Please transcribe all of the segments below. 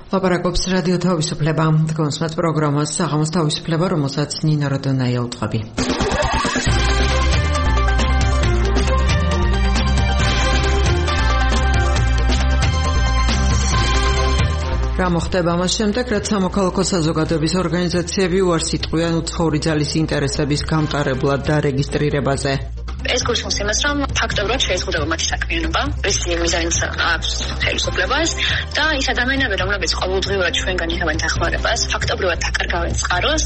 ლაპარაკობს რადიო თავისუფლება. თქვენს პროგრამას საღამოს თავისუფლება, რომელსაც ნინა როდონაია უთხრობი. რა მოხდება მას შემდეგ, რაც სამოქალაქო საზოგადოების ორგანიზაციები უარს იტყვიან უცხოური ძალის ინტერესების გამტარებლად და რეგისტრირებაზე. ეს გულისხმობს იმას, რომ ფაქტობრივად შეეზღუდება მათი საქმიანობა, რის მიზანიც აქვს ხელისუფლებას და ის ადამიანები, რომლებიც ყოველდღიურად ჩვენგან იღებენ დახმარებას, ფაქტობრივად აკარგავენ წყაროს.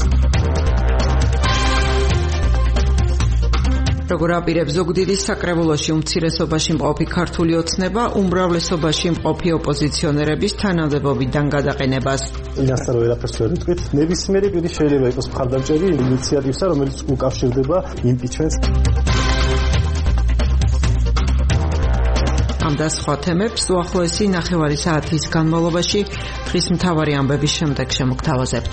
როგორ აპირებს ზუგდიდის საკრებულოში უმცირესობაში მყოფი ქართული ოცნება უმრავლესობაში მყოფი ოპოზიციონერების თანამდებობიდან გადაყენებას. ინასტარ ვერაფერს ვერ ვიტყვით. ნებისმიერი პირი შეიძლება იყოს მხარდამჭერი ინიციატივისა, რომელიც უკავშირდება იმპიჩმენტს. ამ და სხვა თემებს უახლოესი ნახევარი საათის განმავლობაში დღის მთავარი ამბების შემდეგ შემოგთავაზებთ.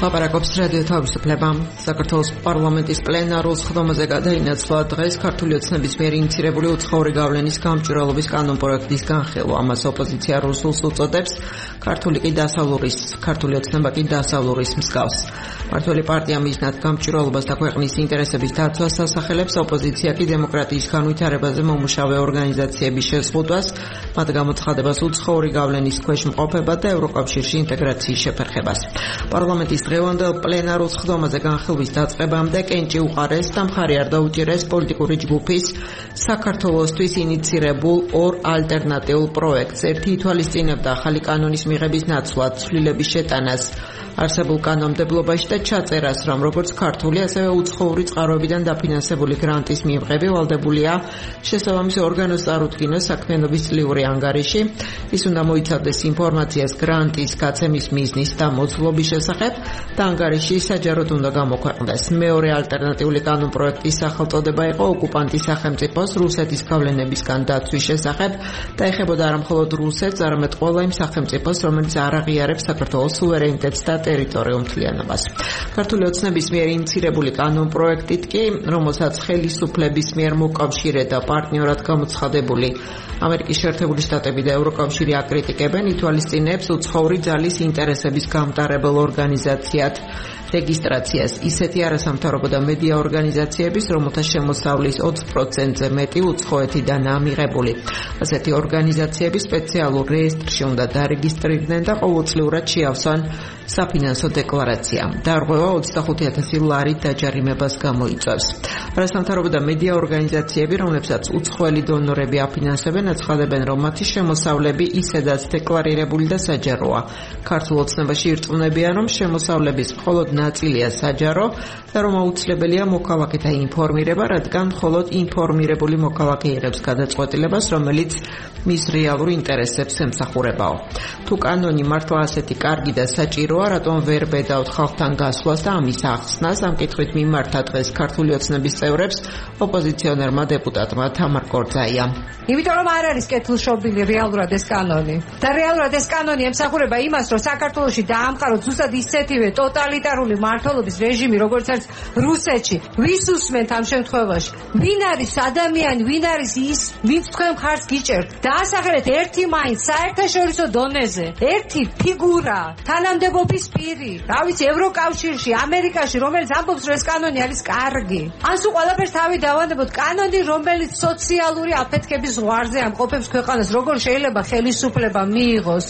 ლაპარაკობს რადიო თავისუფლება. საქართველოს პარლამენტის პლენარულ სხდომაზე გადაინაცვლა დღეს ქართული ოცნების მიერ ინიცირებული უცხოური გავლენის გამჭვირვალობის კანონპროექტის განხილვა. ამას ოპოზიცია რუსულს უწოდებს, ქართული ოცნება კი დასავლურის მსგავს. მართველი პარტია მიზნად გამჭვირვალობას და ქვეყნის ინტერესების დაცვას ასახელებს, ოპოზიცია კი დემოკრატიის განვითარებაზე მომუშავე ორგანიზაციების შეზღუდვას, მათ გამოცხადებას უცხოური გავლენის ქვეშ მყოფება და ევროკავშირში ინტეგრაციის შეფერხებას. პარლამენტის დღევანდელ პლენარულ სხდომაზე განხილვის დაწყებამდე კენჭი უყარეს და მხარი არ დაუჭირეს პოლიტიკური ჯგუფის საქართველოსთვის ინიცირებულ ორ ალტერნატიულ პროექტს. ერთი ითვალისწინებდა ახალი კანონის მიღების ნაცვლად ცვლილების შეტანას არსებულ კანონმდებლობაში და ჩაწერას, რომ როგორც ქართული, ასევე უცხოური წყაროებიდან დაფინანსებული გრანტის მიღები ვალდებულია შესაბამის ორგანოს წარუდგინოს საქმიანობის წლიური ანგარიში. ის უნდა მოიცავდეს ინფორმაციას გრანტის გაცემის მიზნის და მოცულობის შესახებ და ანგარიში საჯაროდ უნდა გამოქვეყნდეს. მეორე ალტერნატიული კანონპროექტის სახელწოდება იყო ოკუპანტის სახელმწიფოს რუსეთის გავლენებისგან დაცვის შესახებ და ეხებოდა არა მხოლოდ რუსეთს, არამედ ყველა იმ სახელმწიფოს, რომელიც არ აღიარებს საქართველოს სუვერენიტეტს და ტერიტორიულ მთლიანობას. ქართული ოცნების მიერ ინიცირებული კანონპროექტით კი, რომელსაც ხელისუფლების მიერ მოკავშირე და პარტნიორად გამოცხადებული ამერიკის შეერთებული შტატები და ევროკავშირი აკრიტიკებენ, ითვალისწინებს უცხოური ძალის ინტერესების გამტარებელ ორგანიზაციად რეგისტრაციას ისეთი არასამთავრობო და მედია ორგანიზაციების, რომელთა შემოსავლის 20%-ზე მეტი უცხოეთიდანაა მიღებული. ასეთი ორგანიზაციები სპეციალურ რეესტრში უნდა დარეგისტრირდნენ და ყოველწლიურად შეავსვან საფინანსო დეკლარაცია. დარღვევა 25,000 ლარით დაჯარიმებას გამოიწვევს. არასამთავრობო და მედია ორგანიზაციები, რომლებსაც უცხოელი დონორები აფინანსებენ, აცხადებენ, რომ მათი შემოსავლები ისედაც დეკლარირებული და საჯაროა. ქართულ ოცნებაში ირწმუნებიან, რომ შემოსავლების მხოლოდ ნაწილია საჯარო და რომ აუცილებელია მოქალაქეთა ინფორმირება, რადგან მხოლოდ ინფორმირებული მოქალაქე იღებს გადაწყვეტილებას, რომელიც მის რეალურ ინტერესებს ემსახურებაო. თუ კანონი მართლა ასეთი კარგი და საჭიროა, რატომ ვერ ბედავთ ხალხთან გასვლას და ამის ახსნას? ამ კითხვით მიმართა დღეს ქართული ოცნების წევრებს ოპოზიციონერმა დეპუტატმა თამარ კორძაია. იმიტომ რომ არ არის კეთილშობილი რეალურად ეს კანონი. და რეალურად ეს კანონი ემსახურება იმას, რომ საქართველოში დაამყაროთ ზუსტად ისეთივე ტოტალიტარული მმართველობის რეჟიმი, როგორც არის რუსეთში. ვის უსმენთ ამ შემთხვევაში? ვინ არის ადამიანი, ვინ არის ის, ვინც თქვენ მხარს გიჭერთ? დაასახელეთ ერთი მაინც საერთაშორისო დონეზე, ერთი ფიგურა, თანამდებობის პირი, რა ვიცი, ევროკავშირში, ამერიკაში, რომელიც ამბობს, რომ ეს კანონი არის კარგი. ან სულ ყველაფერს თავი დავანებოთ, კანონი, რომელიც სოციალური აფეთქების ზღვარზე ამყოფებს ქვეყანას, როგორ შეიძლება ხელისუფლება მიიღოს?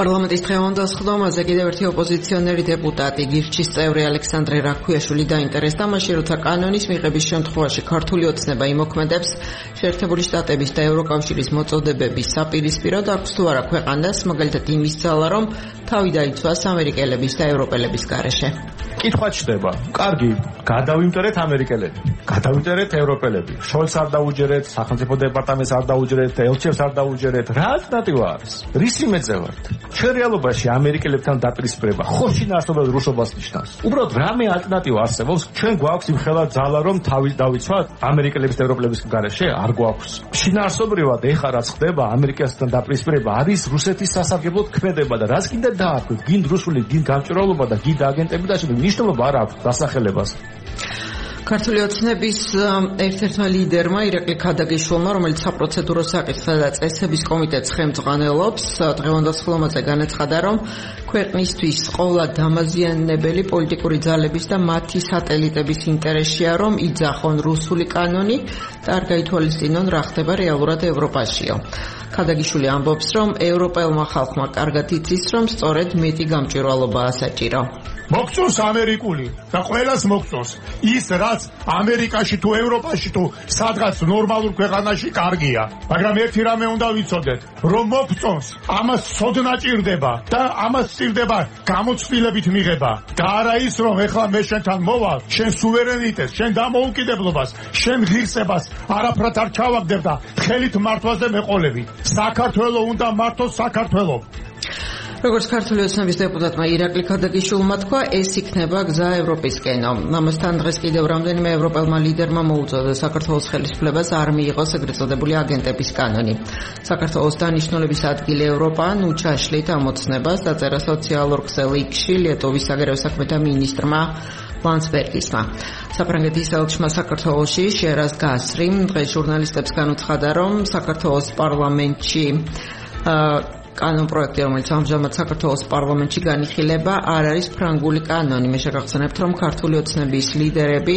პარლამენტის დღევანდელ სხდომაზე კიდევ ერთი ოპოზიციონერი დეპუტატი, გირჩის წევრი ალექსანდრე რაქვიაშვილი დაინტერესდა მაშინ, როცა კანონის მიღების შემთხვევაში ქართული ოცნება იმოქმედებს შეერთებული შტატების და ევროკავშირის მოწოდებების საპირისპიროდ, აქვს თუ არა ქვეყანას, მაგალითად იმის ძალა, რომ თავი დაიცვას ამერიკელების და ევროპელების გარეშე. კითხვა ჩდება. კარგი, გადავიმტერეთ ამერიკელები, გადავიმტერეთ ევროპელები. შოლს არ დაუჯერეთ, სახელმწიფო დეპარტამენტს არ დაუჯერეთ, ელჩებს არ დაუჯერეთ. რა ალტერნატივა არის? რისი მეწევართ? ჩვენ რეალობაში ამერიკელებთან დაპირისპირება ხო შინაარსობრივად რუსობას ნიშნავს. უბრალოდ რამე ალტერნატივა არსებობს? ჩვენ გვაქვს იმხელა ძალა, რომ თავი დავიცვათ ამერიკელების და ევროპელების გარეშე? არ გვაქვს. შინაარსობრივად ეხლა რაც ხდება ამერიკასთან დაპირისპირება არის რუსეთის სასარგებლოდ ქმედება და რაც კიდე დააქვთ, გინდ რუსული, გინდ გამჭვირვალობა და გინდ აგენტები და ნიშნულობა არ აქვს დასახელებას. ქართული ოცნების ერთ-ერთმა ლიდერმა ირაკლი ქადაგიშვილმა, რომელიც საპროცედურო საკითხთა და წესების კომიტეტს ხელმძღვანელობს, დღევანდელ სხდომაზე განაცხადა, რომ ქვეყნისთვის ყოვლა დამაზიანებელი პოლიტიკური ძალების და მათი სატელიტების ინტერესია, რომ იძახონ რუსული კანონი და არ გაითვალისწინონ რა ხდება რეალურად ევროპაშიო. ქადაგიშვილი ამბობს, რომ ევროპელმა ხალხმა კარგად იცის, რომ სწორედ მეტი გამჭვირვალობაა საჭირო. მოგწონს ამერიკული და ყველას მოგწონს ის რაც ამერიკაში თუ ევროპაში თუ სადღაც ნორმალურ ქვეყანაში კარგია, მაგრამ ერთი რამე უნდა ვიცოდეთ, რომ მოგწონს ამას ცოდნა ჭირდება და ამას ჭირდება გამოცდილებით მიღება და არა ის რომ ეხლა მე შენთან მოვალ, შენ სუვერენიტეტს, შენ დამოუკიდებლობას, შენ ღირსებას არაფრად არ ჩავაგდებ და ხელით მართვაზე მეყოლები. საქართველოს უნდა მართოს საქართველოს. როგორც ქართული ოცნების დეპუტატმა ირაკლი ქადაგიშვილმა თქვა, ეს იქნება გზა ევროპისკენო. ამასთან დღეს კიდევ რამდენიმე ევროპელმა ლიდერმა მოუწოდა საქართველოს ხელისუფლებას არ მიიღოს ეგრეთ წოდებული აგენტების კანონი. საქართველოს დანიშნულების ადგილი ევროპა ნუ ჩაშლით ამოცნებას დაწერა სოციალურ ქსელ X-ში ლიტოვის საგარეო საქმეთა მინისტრმა ლანსბერგისმა. საფრანგეთის ელჩმა საქართველოში შერაზ გასრიმ დღეს ჟურნალისტებს განუცხადა, რომ საქართველოს პარლამენტში კანონპროექტი, რომელიც ამჟამად საქართველოს პარლამენტში განიხილება, არ არის ფრანგული კანონი. მე შეგახსენებთ, რომ ქართული ოცნების ლიდერები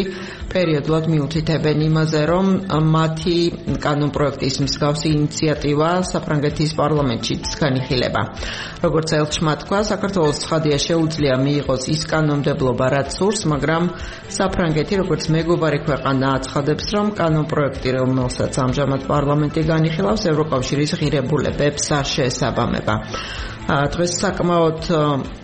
პერიოდულად მიუთითებენ იმაზე, რომ მათი კანონპროექტის მსგავსი ინიციატივა საფრანგეთის პარლამენტშიც განიხილება. როგორც ელჩმა თქვა, საქართველოს ცხადია შეუძლია მიიღოს ის კანონმდებლობა, რაც სურს, მაგრამ საფრანგეთი, როგორც მეგობარი ქვეყანა, აცხადებს, რომ კანონპროექტი, რომელსაც ამჟამად პარლამენტი განიხილავს, ევროკავშირის ღირებულებებს არ შეესაბამება. დღეს საკმაოდ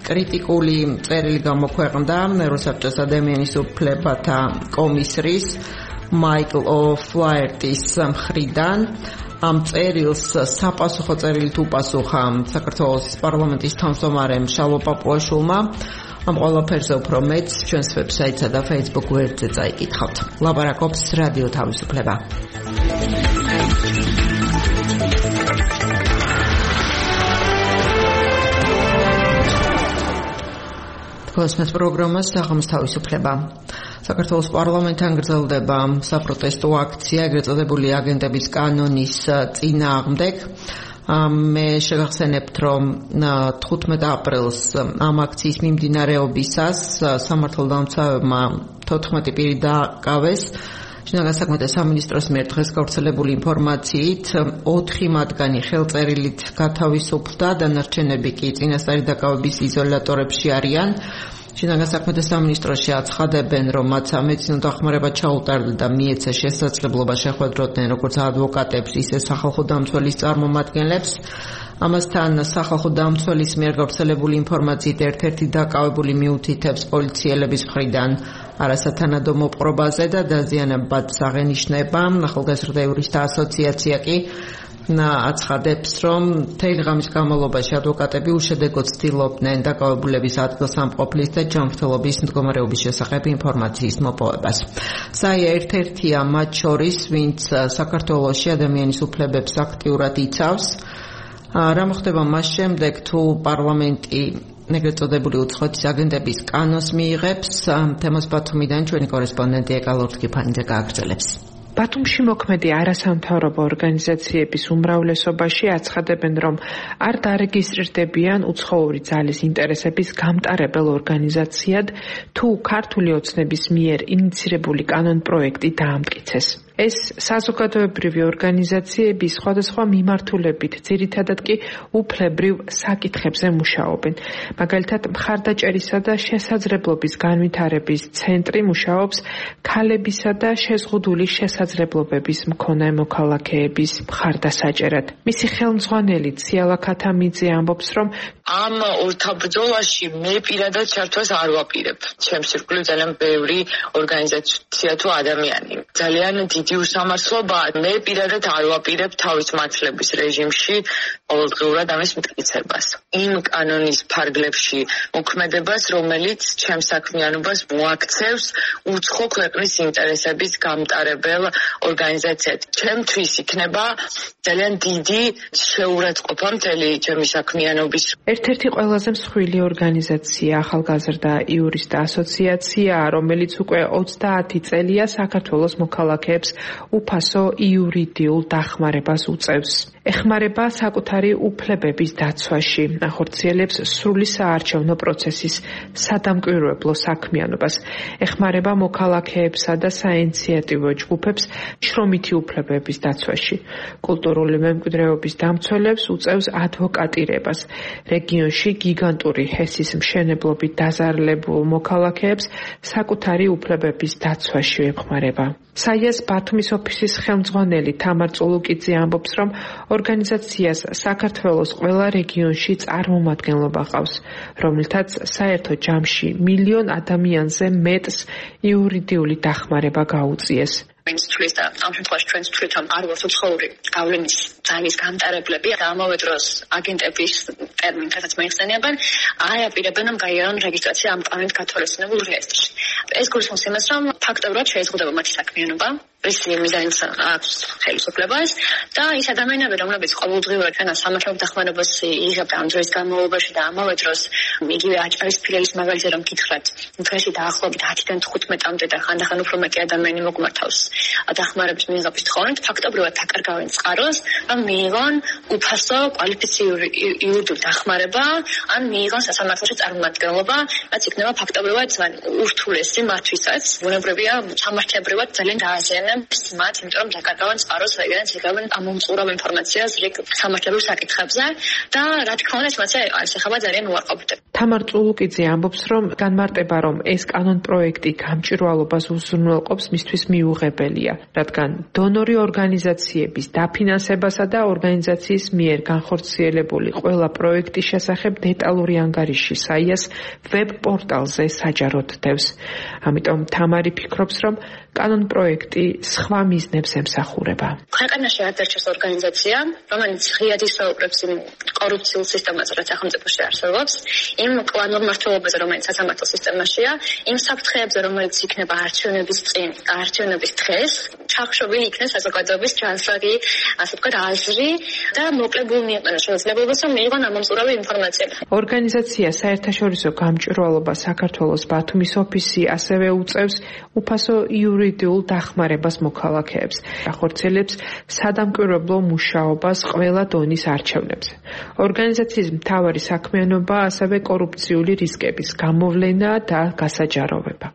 კრიტიკული წერილი გამოქვეყნდა ევროსაბჭოს ადამიანის უფლებათა კომისრის მაიკლ ოფლაერტის მხრიდან. ამ წერილს საპასუხო წერილით უპასუხა საქართველოს პარლამენტის თავმჯდომარემ შალვა პაპუაშვილმა. ამ ყველაფერზე უფრო მეც ჩვენს ვებსაიტსა და Facebook გვერდზე წაიკითხავთ. ლაპარაკობს რადიო თავისუფლება. კოსმოს პროგრამა საღამოს თავისუფლება. საქართველოს პარლამენტთან გრძელდება საპროტესტო აქცია ეგრეთ წოდებული აგენტების კანონის წინააღმდეგ. მე შეგახსენებთ, რომ 15 აპრილს ამ აქციის მიმდინარეობისას სამართალდამცავებმა 14 პირი დააკავეს. შინაგან საქმეთა სამინისტროს მიერ დღეს გავრცელებული ინფორმაციით 4 მათგანი ხელწერილით გათავისუფლდა, დანარჩენები კი წინასწარი დაკავების იზოლატორებში არიან. შინაგან საქმეთა სამინისტროში აცხადებენ, რომ მათ სამედიცინო დახმარება ჩაუტარდა და მიეცა შესაძლებლობა შეხვედროდნენ როგორც ადვოკატებს, ისე სახალხო დამცველის წარმომადგენლებს. ამასთან სახალხო დამცველის მიერ გავრცელებული ინფორმაციით ერთ-ერთი დაკავებული მიუთითებს პოლიციელების მხრიდან არასათანადო მოპყრობაზე და დაზიანებად აღენიშნება. ახალგაზრდა იურისტთა ასოციაცია კი აცხადებს, რომ მთელი ღამის განმავლობაში ადვოკატები უშედეგოდ ცდილობდნენ დაკავებულების ადგილსამყოფლის და ჯანმრთელობის მდგომარეობის შესახებ ინფორმაციის მოპოვებას. ზაია ერთ-ერთია მათ შორის, ვინც საქართველოში ადამიანის უფლებებს აქტიურად იცავს. რა მოხდება მას შემდეგ, თუ პარლამენტი ეგრეთ წოდებული უცხოეთის აგენტების კანონს მიიღებს? თემას ბათუმიდან ჩვენი კორესპონდენტი ეკალორთკიფანიძე გააგრძელებს. ბათუმში მოქმედი არასამთავრობო ორგანიზაციების უმრავლესობაში აცხადებენ, რომ არ დარეგისტრირდებიან უცხოური ძალის ინტერესების გამტარებელ ორგანიზაციად, თუ ქართული ოცნების მიერ ინიცირებული კანონპროექტი დაამტკიცეს. ეს საზოგადოებრივი ორგანიზაციები სხვადასხვა მიმართულებით, ძირითადად კი უფლებრივ საკითხებზე მუშაობენ. მაგალითად, მხარდაჭერისა და შესაძლებლობის განვითარების ცენტრი მუშაობს ქალებისა და შეზღუდული შესაძლებლობების მქონე მოქალაქეების მხარდასაჭერად. მისი ხელმძღვანელი ციალა ქათამიძე ამბობს, რომ ამ ორთაბრძოლაში მე პირადად ჩართვას არ ვაპირებ. ჩემს ირგვლივ ძალიან ბევრი ორგანიზაცია თუ ადამიანი. ძალიან დიდი დიდი უსამართლობაა. მე პირადად არ ვაპირებ თავის მართლების რეჟიმში ყოველდღიურად ამის მტკიცებას. იმ კანონის ფარგლებში მოქმედებას, რომელიც ჩემს საქმიანობას მოაქცევს უცხო ქვეყნის ინტერესების გამტარებელ ორგანიზაციად. ჩემთვის იქნება ძალიან დიდი შეურაცხყოფა მთელი ჩემი საქმიანობის. ერთ-ერთი ყველაზე მსხვილი ორგანიზაცია ახალგაზრდა იურისტთა ასოციაცია, რომელიც უკვე 30 წელია საქართველოს მოქალაქეებს უფასო იურიდიულ დახმარებას უწევს. ეხმარება საკუთარი უფლებების დაცვაში, ახორციელებს სრული საარჩევნო პროცესის სადამკვირვებლო საქმიანობას, ეხმარება მოქალაქეებსა და საინიციატივო ჯგუფებს შრომითი უფლებების დაცვაში, კულტურული მემკვიდრეობის დამცველებს უწევს ადვოკატირებას, რეგიონში გიგანტური ჰესის მშენებლობით დაზარალებულ მოქალაქეებს საკუთარი უფლებების დაცვაში ეხმარება. საიას ბათუმის ოფისის ხელმძღვანელი თამარ წულუკიძე ამბობს, რომ ორგანიზაციას საქართველოს ყველა რეგიონში წარმომადგენლობა ყავს, რომელთაც საერთო ჯამში 1 მილიონ ადამიანზე მეტს იურიდიული დახმარება გაუწიეს. Ministries და ამ შემთხვევაში ჩვენს თვითონ არ ვართ უცხოური გავლენის ძალის გამტარებლები და ამავე დროს აგენტების ტერმინს რაც მოიხსენიებენ, აიაპირებენ რომ გაიარონ რეგისტრაცია ამ კანონით გათვალისწინებულ რეესტრში. ეს გულისხმობს იმას, რომ ფაქტობრივად შეეზღუდება მათი საქმიანობა, რისი მიზანიც აქვს ხელისუფლებას და ის ადამიანები, რომლებიც ყოველდღიურად ჩვენს სამართლებრივ დახმარებას იღებდა ამ დროის განმავლობაში და ამავე დროს იგივე აჭარის ფილიალის მაგალითზე რომ გითხრათ, დღეში დაახლოებით 10-დან 15-მდე და ხანდახან უფრო მეტი ადამიანი მოგმართავს დახმარების მიღების თხოვნით, ფაქტობრივად დაკარგავენ წყაროს, რომ მიიღონ უფასო კვალიფიციური იურიდიული დახმარება, ან მიიღონ სასამართლოში წარმომადგენლობა, რაც იქნება ფაქტობრივად ურთულესი მათთვისაც. ბუნებრივია, სამართლებრივად ძალიან დააზიანებს მათ, იმიტომ რომ დაკარგავენ წყაროს, რადგანაც იღებენ ამომწყურავ ინფორმაციას რიგ სამართლებრივ საკითხებზე და რა თქმა უნდა, ეს მასე არის ახლა ძალიან უარყოფითი. თამარ წულუკიძე ამბობს, რომ განმარტება, რომ ეს კანონპროექტი გამჭვირვალობას უზრუნველყოფს, მისთვის მიუღებელია, რადგან დონორი ორგანიზაციების დაფინანსებასა და ორგანიზაციის მიერ განხორციელებული ყველა პროექტის შესახებ დეტალური ანგარიში საიას ვებ პორტალზე საჯაროდ დევს. ამიტომ თამარი ფიქრობს, რომ კანონპროექტი სხვა მიზნებს ემსახურება. ქვეყანაში არ დარჩეს ორგანიზაცია, რომელიც ღიად ისაუბრებს იმ კორუფციულ სისტემაზე, რაც სახელმწიფოში არსებობს, იმ კლანურ მმართველობაზე, რომელიც სასამართლო სისტემაშია, იმ საფრთხეებზე, რომელიც იქნება არჩევნების წინ, არჩევნების დღეს, ჩახშობილი იქნეს საზოგადოების ჯანსაღი, ასე ვთქვათ, აზრი და მოკლებულ მიეყენა შესაძლებლობას, რომ მიიღონ ამომწყურავი ინფორმაცია. ორგანიზაცია საერთაშორისო გამჭვირვალობა საქართველოს ბათუმის ოფისი ასევე უწევს უფასო იურიდიულ დახმარებას მოქალაქეებს, ახორციელებს სადამკვირვებლო მუშაობას ყველა დონის არჩევნებზე. ორგანიზაციის მთავარი საქმიანობა ასევე კორუფციული რისკების გამოვლენა და გასაჯაროვება.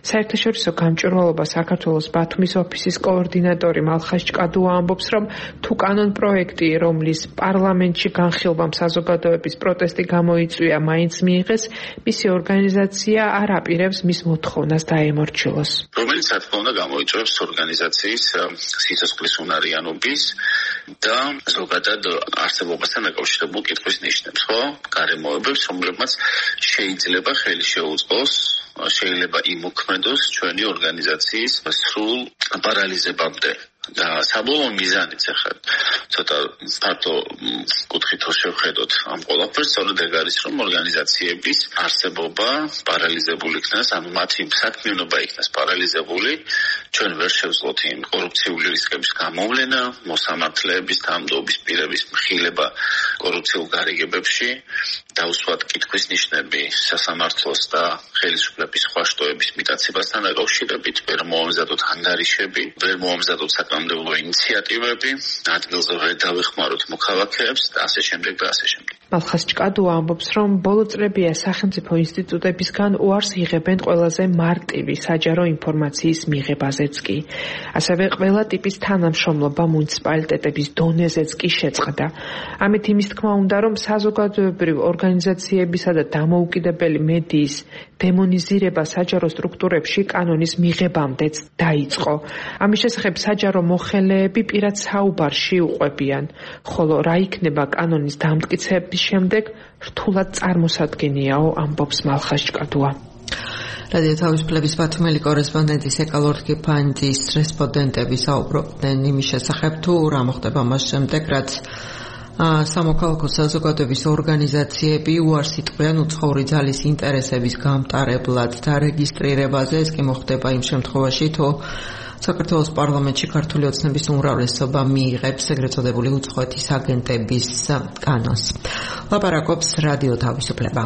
საერთაშორისო გამჭვირვალობა საქართველოს ბათუმის ოფისის კოორდინატორი მალხაზ ჭკადუა ამბობს, რომ თუ კანონპროექტი, რომლის პარლამენტში განხილვამ საზოგადოების პროტესტი გამოიწვია, მაინც მიიღეს, მისი ორგანიზაცია არ აპირებს მის მოთხოვნას დაემორჩილოს. რომელიც რა თქმა უნდა გამოიწვევს ორგანიზაციის სიცოცხლის უნარიანობის და ზოგადად არსებობასთან დაკავშირებულ კითხვის ნიშნებს, ხო? გარემოებებს, რომლებმაც შეიძლება ხელი შეუწყოს, შეიძლება იმოქმედოს ჩვენი ორგანიზაციის სრულ პარალიზებამდე. და საბოლოო მიზანიც ახლა ცოტა ფართო კუთხით შევხედოთ ამ ყველაფერს, სწორედ ეგ არის, რომ ორგანიზაციების არსებობა პარალიზებული იქნას, ანუ მათი საქმიანობა იქნას პარალიზებული, ჩვენ ვერ შევძლოთ იმ კორუფციული რისკების გამოვლენა, მოსამართლეების, თანამდებობის პირების მხილება კორუფციულ გარიგებებში, დაუსვათ კითხვის ნიშნები სასამართლოს და ხელისუფლების სხვა შტოების მიტაცებასთან დაკავშირებით, ვერ მოამზადოთ ანგარიშები, ვერ მოამზადოთ საკანონმდებლო ინიციატივები, ადგილზე ვერ დავეხმაროთ მოქალაქეებს და ასე შემდეგ და ასე შემდეგ. მალხაზ ჭკადუა ამბობს, რომ ბოლო წლებია სახელმწიფო ინსტიტუტებისგან უარს იღებენ ყველაზე მარტივი საჯარო ინფორმაციის მიღებაზეც კი. ასევე ყველა ტიპის თანამშრომლობა მუნიციპალიტეტების დონეზეც კი შეწყდა. ამით იმის თქმა უნდა, რომ საზოგადოებრივ ორგანიზაციებისა და დამოუკიდებელი მედიის დემონიზირება საჯარო სტრუქტურებში კანონის მიღებამდეც დაიწყო. ამის შესახებ საჯარო მოხელეები პირად საუბარში უყვებიან, ხოლო რა იქნება კანონის დამტკიცების შემდეგ რთულად წარმოსადგენიაო, ამბობს მალხაზ ჭკადუა. რადიო თავისუფლების ბათუმელი კორესპონდენტის ეკალორთკი ფანჯის რესპონდენტები საუბრობდნენ იმის შესახებ, თუ რა მოხდება მას შემდეგ, რაც სამოქალაქო საზოგადოების ორგანიზაციები უარს იტყვიან უცხოური ძალის ინტერესების გამტარებლად დარეგისტრირებაზე. ეს კი მოხდება იმ შემთხვევაში, თუ საქართველოს პარლამენტში ქართული ოცნების უმრავლესობა მიიღებს ეგრეთ წოდებული უცხოეთის აგენტების კანონს. ლაპარაკობს რადიო თავისუფლება.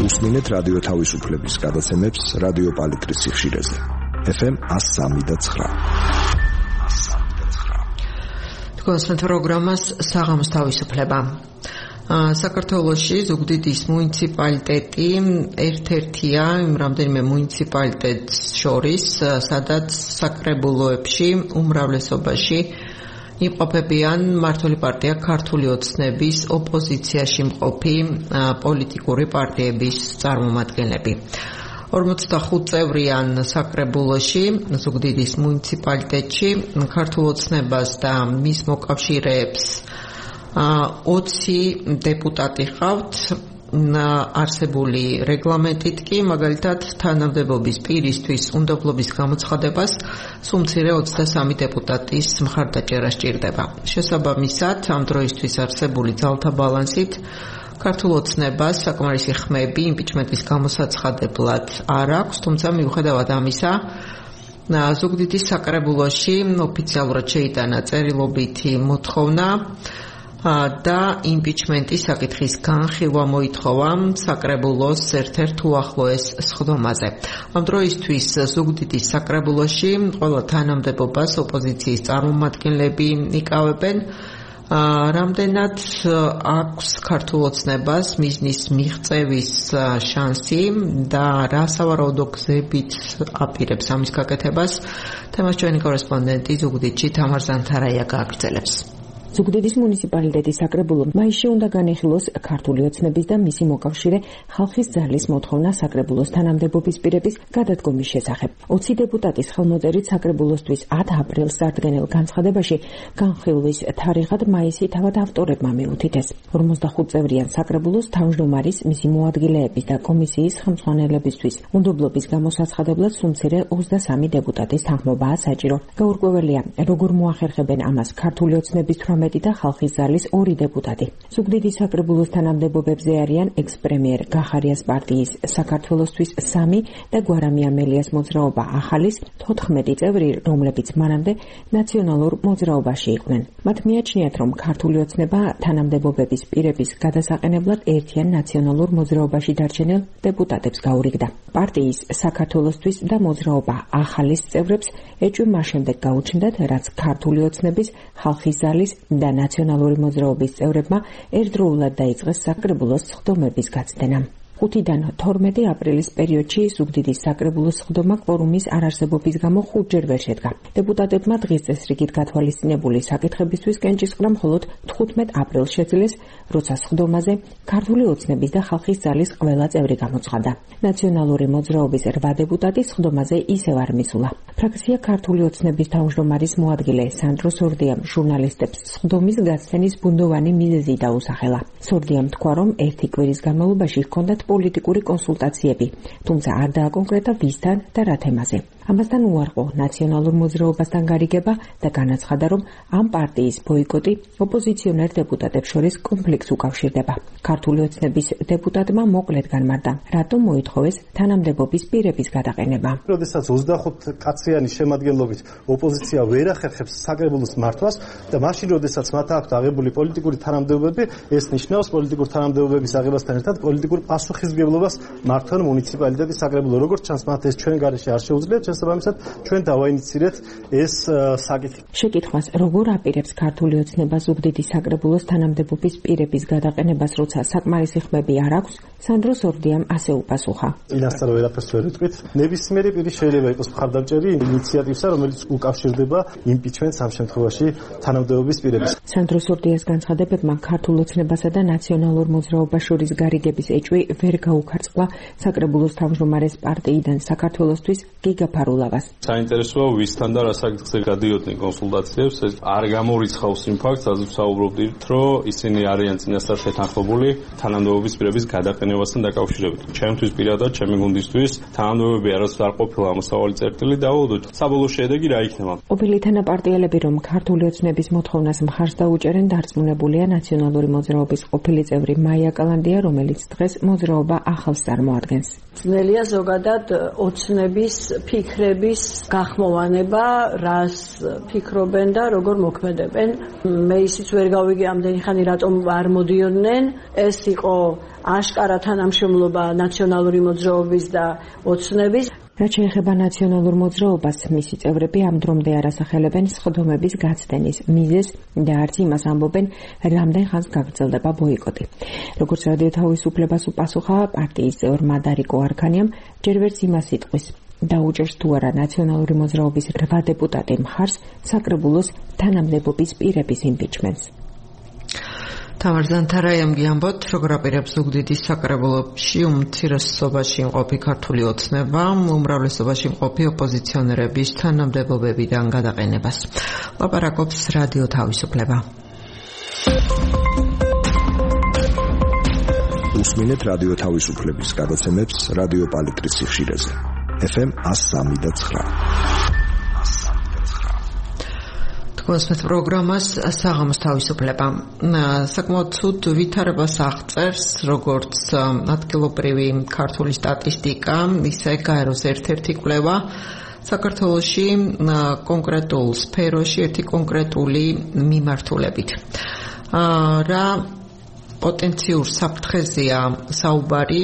უსმინეთ რადიო თავისუფლების გადაცემებს რადიო პალიტრის სიხშირეზე. FM 103.9. თქვენს პროგრამას საღამოს თავისუფლება. საქართველოში ზუგდიდის მუნიციპალიტეტი ერთ-ერთია იმ რამდენიმე მუნიციპალიტეტს შორის, სადაც საკრებულოებში უმრავლესობაში იმყოფებიან მმართველი პარტია ქართული ოცნების ოპოზიციაში მყოფი პოლიტიკური პარტიების წარმომადგენლები. 45 წევრიან საკრებულოში ზუგდიდის მუნიციპალიტეტში ქართულ ოცნებას და მის მოკავშირეებს 20 დეპუტატი ყავთ. არსებული რეგლამენტით კი მაგალითად თანამდებობის პირისთვის უნდობლობის გამოცხადებას სულ მცირე 23 დეპუტატის მხარდაჭერა სჭირდება. შესაბამისად, ამ დროისთვის არსებული ძალთა ბალანსით ქართულ ოცნებას საკმარისი ხმები იმპიჩმენტის გამოსაცხადებლად არ აქვს, თუმცა მიუხედავად ამისა, ზუგდიდის საკრებულოში ოფიციალურად შეიტანა წერილობითი მოთხოვნა და იმპიჩმენტის საკითხის განხილვა მოითხოვა საკრებულოს ერთ-ერთ უახლოეს სხდომაზე. ამ დროისთვის ზუგდიდის საკრებულოში ყველა თანამდებობას ოპოზიციის წარმომადგენლები იკავებენ. რამდენად აქვს ქართულ ოცნებას მიზნის მიღწევის შანსი და რა სავარაუდო გზებით აპირებს ამის გაკეთებას, თემას ჩვენი კორესპონდენტი ზუგდიდში თამარ ზანთარაია გააგრძელებს. ზუგდიდის მუნიციპალიტეტის საკრებულომ მაისში უნდა განეხილოს ქართული ოცნების და მისი მოკავშირე ხალხის ძალის მოთხოვნა საკრებულოს თანამდებობის პირების გადადგომის შესახებ. 20 დეპუტატის ხელმოწერით საკრებულოსთვის 10 აპრილს წარდგენილ განცხადებაში განხილვის თარიღად მაისი თავად ავტორებმა მიუთითეს. 45 წევრიან საკრებულოს თავმჯდომარის, მისი მოადგილეების და კომისიის ხელმძღვანელებისთვის უნდობლობის გამოსაცხადებლად სულ მცირე 23 დეპუტატის თანხმობაა საჭირო. გაურკვეველია, როგორ მოახერხებენ ამას ქართული ოცნების და ხალხის ძალის 2 დეპუტატი. ზუგდიდის საკრებულოს თანამდებობებზე არიან ექს-პრემიერ გახარიას პარტიის საქართველოსთვის 3 და გვარამი ამელიას მოძრაობა ახალის 14 წევრი, რომლებიც მანამდე ნაციონალურ მოძრაობაში იყვნენ. მათ მიაჩნიათ, რომ ქართული ოცნება თანამდებობების პირების გადასაყენებლად ერთიან ნაციონალურ მოძრაობაში დარჩენილ დეპუტატებს გაურიგდა. პარტიის საქართველოსთვის და მოძრაობა ახალის წევრებს ეჭვი მას შემდეგ გაუჩნდათ, რაც ქართული ოცნების ხალხის ძალის და ნაციონალური მოძრაობის წევრებმა ერთდროულად დაიწყეს საკრებულოს სხდომების გაცდენა. 5-დან 12 აპრილის პერიოდში ზუგდიდის საკრებულოს სხდომა კვორუმის არარსებობის გამო 5-ჯერ ვერ შედგა. დეპუტატებმა დღის წესრიგით გათვალისწინებული საკითხებისთვის კენჭისყრა მხოლოდ 15 აპრილს შეძლეს, როცა სხდომაზე ქართული ოცნების და ხალხის ძალის ყველა წევრი გამოცხადა. ნაციონალური მოძრაობის 8 დეპუტატი სხდომაზე ისევ არ მისულა. ფრაქცია ქართული ოცნების თავმჯდომარის მოადგილე სანდრო სორდიამ ჟურნალისტებს სხდომის გაცდენის ბუნდოვანი მიზეზი დაუსახელა. სორდიამ თქვა, რომ ერთი კვირის განმავლობაში ჰქონდათ პოლიტიკური კონსულტაციები, თუმცა არ დააკონკრეტა ვისთან და რა თემაზე. ამასთან უარყო ნაციონალურ მოძრაობასთან გარიგება და განაცხადა, რომ ამ პარტიის ბოიკოტი ოპოზიციონერ დეპუტატებს შორის კონფლიქტს უკავშირდება. ქართული ოცნების დეპუტატმა მოკლედ განმარტა, რატომ მოითხოვეს თანამდებობის პირების გადაყენება. როდესაც 25 კაციანი შემადგენლობით ოპოზიცია ვერ ახერხებს საკრებულოს მართვას და მაშინ როდესაც მათ აქვთ აღებული პოლიტიკური თანამდებობები, ეს ნიშნავს პოლიტიკური თანამდებობების აღებასთან ერთად პოლიტიკურ პასუხისმგებლობას მართონ მუნიციპალიტეტის საკრებულო. როგორც ჩანს, მათ ეს ჩვენ გარეშე არ შეუძლიათ. შესაბამისად, ჩვენ დავაინიცირეთ ეს საკითხი. შეკითხვას, როგორ აპირებს ქართული ოცნება ზუგდიდის საკრებულოს თანამდებობის პირების გადაყენებას, როცა საკმარისი ხმები არ აქვს, სანდრო სორდიამ ასე უპასუხა. ინასტარ ვერაფერს ვერ ვიტყვით. ნებისმიერი პირი შეიძლება იყოს მხარდამჭერი ინიციატივსა, რომელიც უკავშირდება იმპიჩმენტს ამ შემთხვევაში თანამდებობის პირების. სანდრო სორდიას განცხადებებმა ქართულ ოცნებასა და ნაციონალურ მოძრაობას შორის გარიგების ეჭვი ვერ გაუქარწყლა საკრებულოს თავმჯდომარის პარტიიდან საქართველოსთვის გიგა ფარულავას. საინტერესოა ვისთან და რა საკითხზე გადიოდნენ კონსულტაციებს, ეს არ გამორიცხავს იმ ფაქტს, სადაც ვსაუბრობდით, რომ ისინი არიან წინასწარ შეთანხმებული თანამდებობის პირების გადაყენებასთან დაკავშირებით. ჩემთვის პირადად, ჩემი გუნდისთვის თანამდებობები არასდროს არ ყოფილა ამოსავალი წერტილი და უდოთ საბოლოო შედეგი რა იქნება. ყოფილი თანაპარტიელები რომ ქართული ოცნების მოთხოვნას მხარს დაუჭერენ, დარწმუნებულია ნაციონალური მოძრაობის ყოფილი წევრი მაია კალანდია, რომელიც დღეს მოძრაობა ახალს წარმოადგენს. ძნელია ზოგადად ოცნების ფიქრების გახმოვანება, რას ფიქრობენ და როგორ მოქმედებენ. მე ისიც ვერ გავიგე ამდენი ხანი რატომ არ მოდიოდნენ. ეს იყო აშკარა თანამშრომლობა ნაციონალური მოძრაობის და ოცნების. რაც შეეხება ნაციონალურ მოძრაობას, მისი წევრები ამ დრომდე არ ასახელებენ სხდომების გაცდენის მიზეზს და არც იმას ამბობენ, რამდენ ხანს გაგრძელდება ბოიკოტი. როგორც რადიო თავისუფლებას უპასუხა პარტიის წევრმა დარიკო არქანიამ, ჯერ ვერც იმას იტყვის დაუჭერს თუ არა ნაციონალური მოძრაობის 8 დეპუტატი მხარს საკრებულოს თანამდებობის პირების იმპიჩმენტს. თამარ ზანთარაიამ გიამბოთ, როგორ აპირებს ზუგდიდის საკრებულოში უმცირესობაში მყოფი ქართული ოცნება უმრავლესობაში მყოფი ოპოზიციონერების თანამდებობებიდან გადაყენებას. ლაპარაკობს რადიო თავისუფლება. უსმინეთ რადიო თავისუფლების გადაცემებს რადიო პალიტრის სიხშირეზე. FM 103.9. კონსპეთ პროგრამას საღამოს თავისუფლება. საკმაოდ ცუდ ვითარებას აღწერს როგორც ადგილობრივი ქართული სტატისტიკა, ისე გაეროს ერთ-ერთი კვლევა საქართველოში კონკრეტულ სფეროში ერთი კონკრეტული მიმართულებით. რა პოტენციურ საფრთხეზეა საუბარი,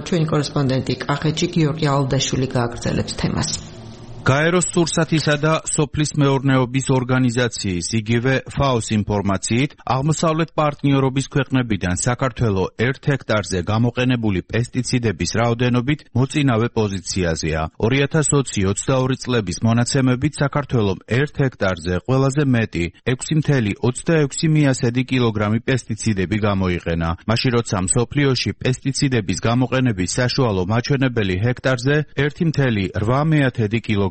ჩვენი კორესპონდენტი კახეთში გიორგი ალდაშვილი გააგრძელებს თემას. გაეროს სურსათისა და სოფლის მეურნეობის ორგანიზაციის იგივე FAO-ს ინფორმაციით, აღმოსავლეთ პარტნიორობის ქვეყნებიდან საქართველო 1 ჰექტარზე გამოყენებული პესტიციდების რაოდენობით მოწინავე პოზიციაზეა. 2020-22 წლების მონაცემებით საქართველომ 1 ჰექტარზე ყველაზე მეტი 6.26 კილოგრამი პესტიციდები გამოიყენა. მაშინ როცა მსოფლიოში პესტიციდების გამოყენების საშუალო მაჩვენებელი ჰექტარზე 1.8 კილოგრამია.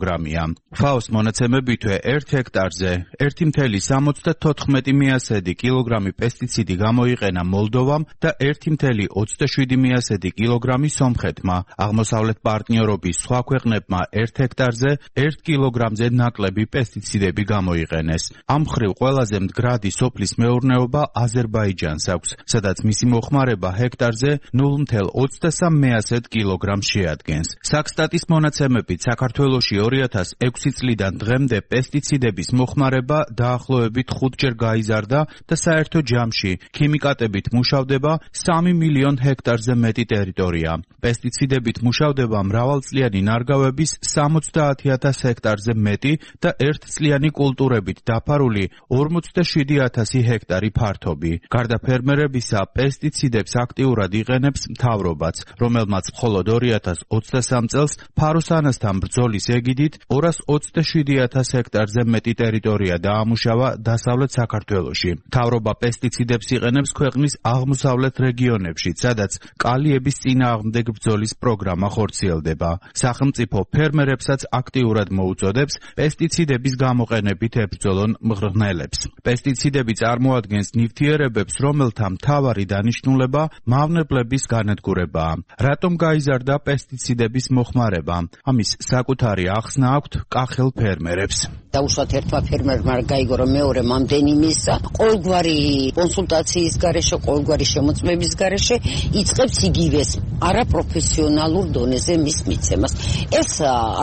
FAO-ს მონაცემებითვე 1 ჰექტარზე 1.74 კილოგრამი პესტიციდი გამოიყენა მოლდოვამ და 1.27 კილოგრამი სომხეთმა. აღმოსავლეთ პარტნიორობის სხვა ქვეყნებმა 1 ჰექტარზე 1 კილოგრამზე ნაკლები პესტიციდები გამოიყენეს. ამ მხრივ ყველაზე მდგრადი სოფლის მეურნეობა აზერბაიჯანს აქვს, სადაც მისი მოხმარება ჰექტარზე 0.23 კილოგრამს შეადგენს. საქსტატის მონაცემებით საქართველოში 2006 წლიდან დღემდე პესტიციდების მოხმარება დაახლოებით 5-ჯერ გაიზარდა და საერთო ჯამში ქიმიკატებით მუშავდება 3 მილიონ ჰექტარზე მეტი ტერიტორია. პესტიციდებით მუშავდება მრავალწლიანი ნარგავების 70,000 ჰექტარზე მეტი და ერთწლიანი კულტურებით დაფარული 47,000 ჰექტარი ფართობი. გარდა ფერმერებისა, პესტიციდებს აქტიურად იყენებს მთავრობაც, რომელმაც მხოლოდ 2023 წელს ფაროსანასთან ბრძოლის ეგიდით 227,000 ჰექტარზე მეტი ტერიტორია დაამუშავა დასავლეთ საქართველოში. მთავრობა პესტიციდებს იყენებს ქვეყნის აღმოსავლეთ რეგიონებში, სადაც კალიების წინააღმდეგ ბრძოლის პროგრამა ხორციელდება. სახელმწიფო ფერმერებსაც აქტიურად მოუწოდებს პესტიციდების გამოყენებით ებრძოლონ მღრღნელებს. პესტიციდები წარმოადგენს ნივთიერებებს, რომელთა მთავარი დანიშნულება მავნებლების განადგურებაა. რატომ გაიზარდა პესტიციდების მოხმარება? ამის საკუთარი ახსნა აქვთ კახელ ფერმერებს. დაუშვათ ერთმა ფერმერმა გაიგო, რომ მეორე მამდენი მისცა, ყოველგვარი კონსულტაციის გარეშე, ყოველგვარი შემოწმების გარეშე იწყებს იგივეს არაპროფესიონალურ დონეზე მის მიცემას. ეს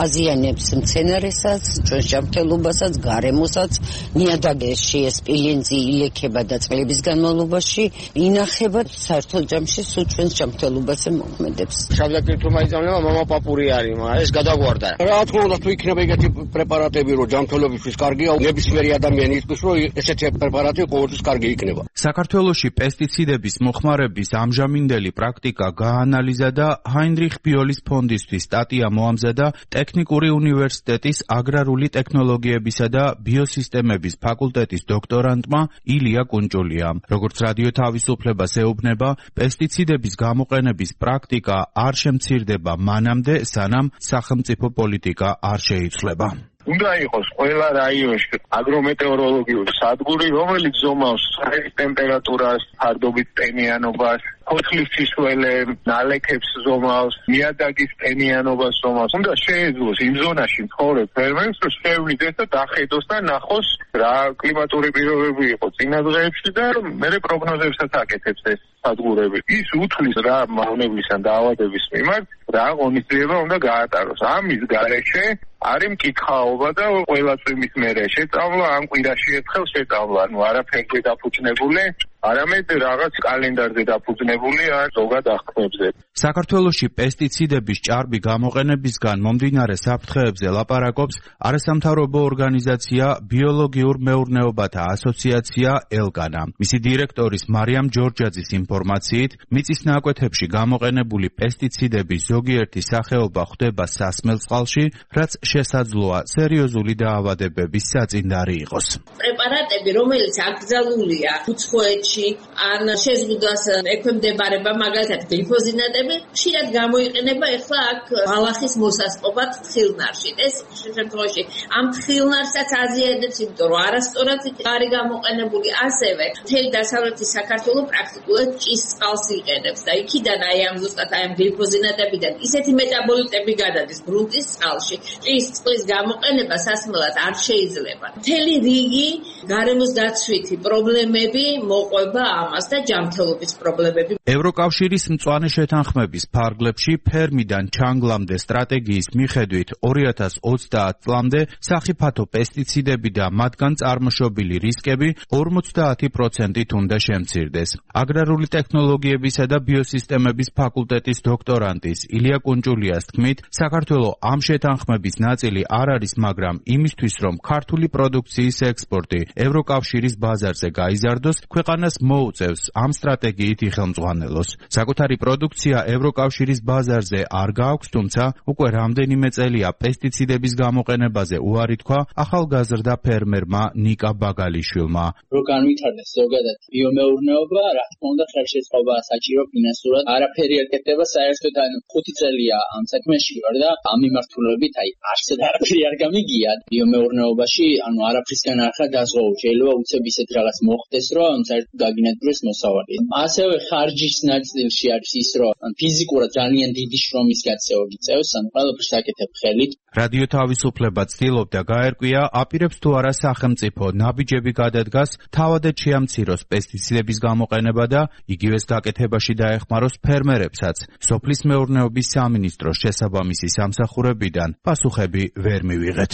აზიანებს მცენარესაც, ჩვენს ჯანმრთელობასაც, გარემოსაც, ნიადაგებში ეს სპილენძი ილექება და წლების განმავლობაში ინახება საერთო ჯამში სულ ჩვენს ჯანმრთელობაზე მოქმედებს. შავდაკირთო მაიძავნება მამა პაპური არის, მაგრამ ეს გადაგვარდა. რა თქმა უნდა, თუ იქნება ეგეთი პრეპარატები, რომ ჯანმრთელობისთვის კარგია, ნებისმიერი ადამიანი იტყვის, რომ ესეთი პრეპარატი ყოველთვის კარგი იქნება. საქართველოში პესტიციდების მოხმარების ამჟამინდელი პრაქტიკა გაანალიზდა დაიზადა ჰაინრიხ ბიოლის ფონდისთვის სტატია მოამზადა ტექნიკური უნივერსიტეტის აგრარული ტექნოლოგიებისა და ბიოსისტემების ფაკულტეტის დოქტორანტმა ილია კუნჭულიამ. როგორც რადიო თავისუფლებას ეუბნება, პესტიციდების გამოყენების პრაქტიკა არ შემცირდება მანამდე, სანამ სახელმწიფო პოლიტიკა არ შეიცვლება. უნდა იყოს ყველა რაიონში აგრომეტეოროლოგიური სადგური, რომელიც ზომავს საერთო ტემპერატურას, ფარდობით ტენიანობას, ფოთლის სისხლზე, ნალექებს ზომავს, ნიადაგის ტენიანობას ზომავს. უნდა შეეძლოს იმ ზონაში მცხოვრებ ფერმერს, რომ შეევლინდეს და დახედოს და ნახოს რა კლიმატური პირობები იყო წინა დღეებში და მერე პროგნოზებსაც აკეთებს ეს სადგურები. ის უთვლის რა მავნებლის ან დაავადების მიმართ რა ღონისძიება უნდა გაატაროს. ამის გარეშე არის მკითხაობა და ყველა წვიმის მერე შეწავლა, ან კვირაში ერთხელ შეწავლა, ანუ არაფერზე დაფუძნებული, არამედ რაღაც კალენდარზე დაფუძნებული ან ზოგად აღქმებზე. საქართველოში პესტიციდების ჭარბი გამოყენებისგან მომდინარე საფრთხეებზე ლაპარაკობს არასამთავრობო ორგანიზაცია ბიოლოგიურ მეურნეობათა ასოციაცია ელგანა. მისი დირექტორის მარიამ ჯორჯაძის ინფორმაციით, მიწის ნაკვეთებში გამოყენებული პესტიციდების ზოგიერთი სახეობა ხვდება სასმელ წყალში, რაც შესაძლოა სერიოზული დაავადებების საწინდარი იყოს. პრეპარატები, რომელიც აკრძალულია უცხოეთში, ან შეზღუდვას ექვემდებარება, მაგალითად გლიფოზინატები, ხშირად გამოიყენება ეხლა აქ ბალახის მოსასპობად თხილნარში. ეს შემთხვევაში ამ თხილნარსაც აზიადებს, იმიტომ რომ არასწორად არის გამოყენებული. ასევე მთელი დასავლეთი საქართველო პრაქტიკულად ჭის წყალს იყენებს და იქიდან ამ ზუსტად ამ გლიფოზინატებიდან ისეთი მეტაბოლიტები გადადის გრუნტის წყალში. ჭის წყლის გამოყენება სასმელად არ შეიძლება. მთელი რიგი გარემოს დაცვითი პრობლემები მოყვება ამას და ჯანმრთელობის პრობლემები. ევროკავშირის მწვანე შეთანხმების ფარგლებში ფერმიდან ჩანგლამდე სტრატეგიის მიხედვით 2030 წლამდე სახიფათო პესტიციდები და მათგან წარმოშობილი რისკები 50%-ით უნდა შემცირდეს. აგრარული ტექნოლოგიებისა და ბიოსისტემების ფაკულტეტის დოქტორანტის ილია კუნჭულიას თქმით, საქართველო ამ შეთანხმების ნაწილი არ არის, მაგრამ იმისთვის, რომ ქართული პროდუქციის ექსპორტი ევროკავშირის ბაზარზე გაიზარდოს, ქვეყანას მოუწევს ამ სტრატეგიით იხელმძღვანელოს. საკუთარი პროდუქცია ევროკავშირის ბაზარზე არ გააქვს, თუმცა უკვე რამდენიმე წელია პესტიციდების გამოყენებაზე უარი თქვა ახალგაზრდა ფერმერმა ნიკა ბაგალიშვილმა. რო განვითარდეს ზოგადად ბიომეურნეობა, რა თქმა უნდა, ხელშეწყობაა საჭირო ფინანსურად. არაფერი არ კეთდება, საერთოდ 5 წელია ამ საქმეში ვარ და ამ მიმართულებით არსად არაფერი არ გამიგია ბიომეურნეობაში, არაფრისგან არ ხარ დაზღვეულ. შეიძლება უცებ ისეთ რაღაც მოხდეს, რომ საერთოდ გაგინადგურდეს მოსავალი. ასევე ხარჯის ნაწილში არის ის, რომ ფიზიკურად ძალიან დიდი შრომის გაწევა გიწევს, ყველაფერს აკეთებ ხელით. რადიო თავისუფლება ცდილობდა გაერკვია, აპირებს თუ არა სახელმწიფო ნაბიჯები გადადგას, თავადაც შეამციროს პესტიციდების გამოყენება და იგივეს გაკეთებაში დაეხმაროს ფერმერებსაც. სოფლის მეურნეობის სამინისტროს შესაბამისი სამსახურებიდან პასუხები ვერ მივიღეთ.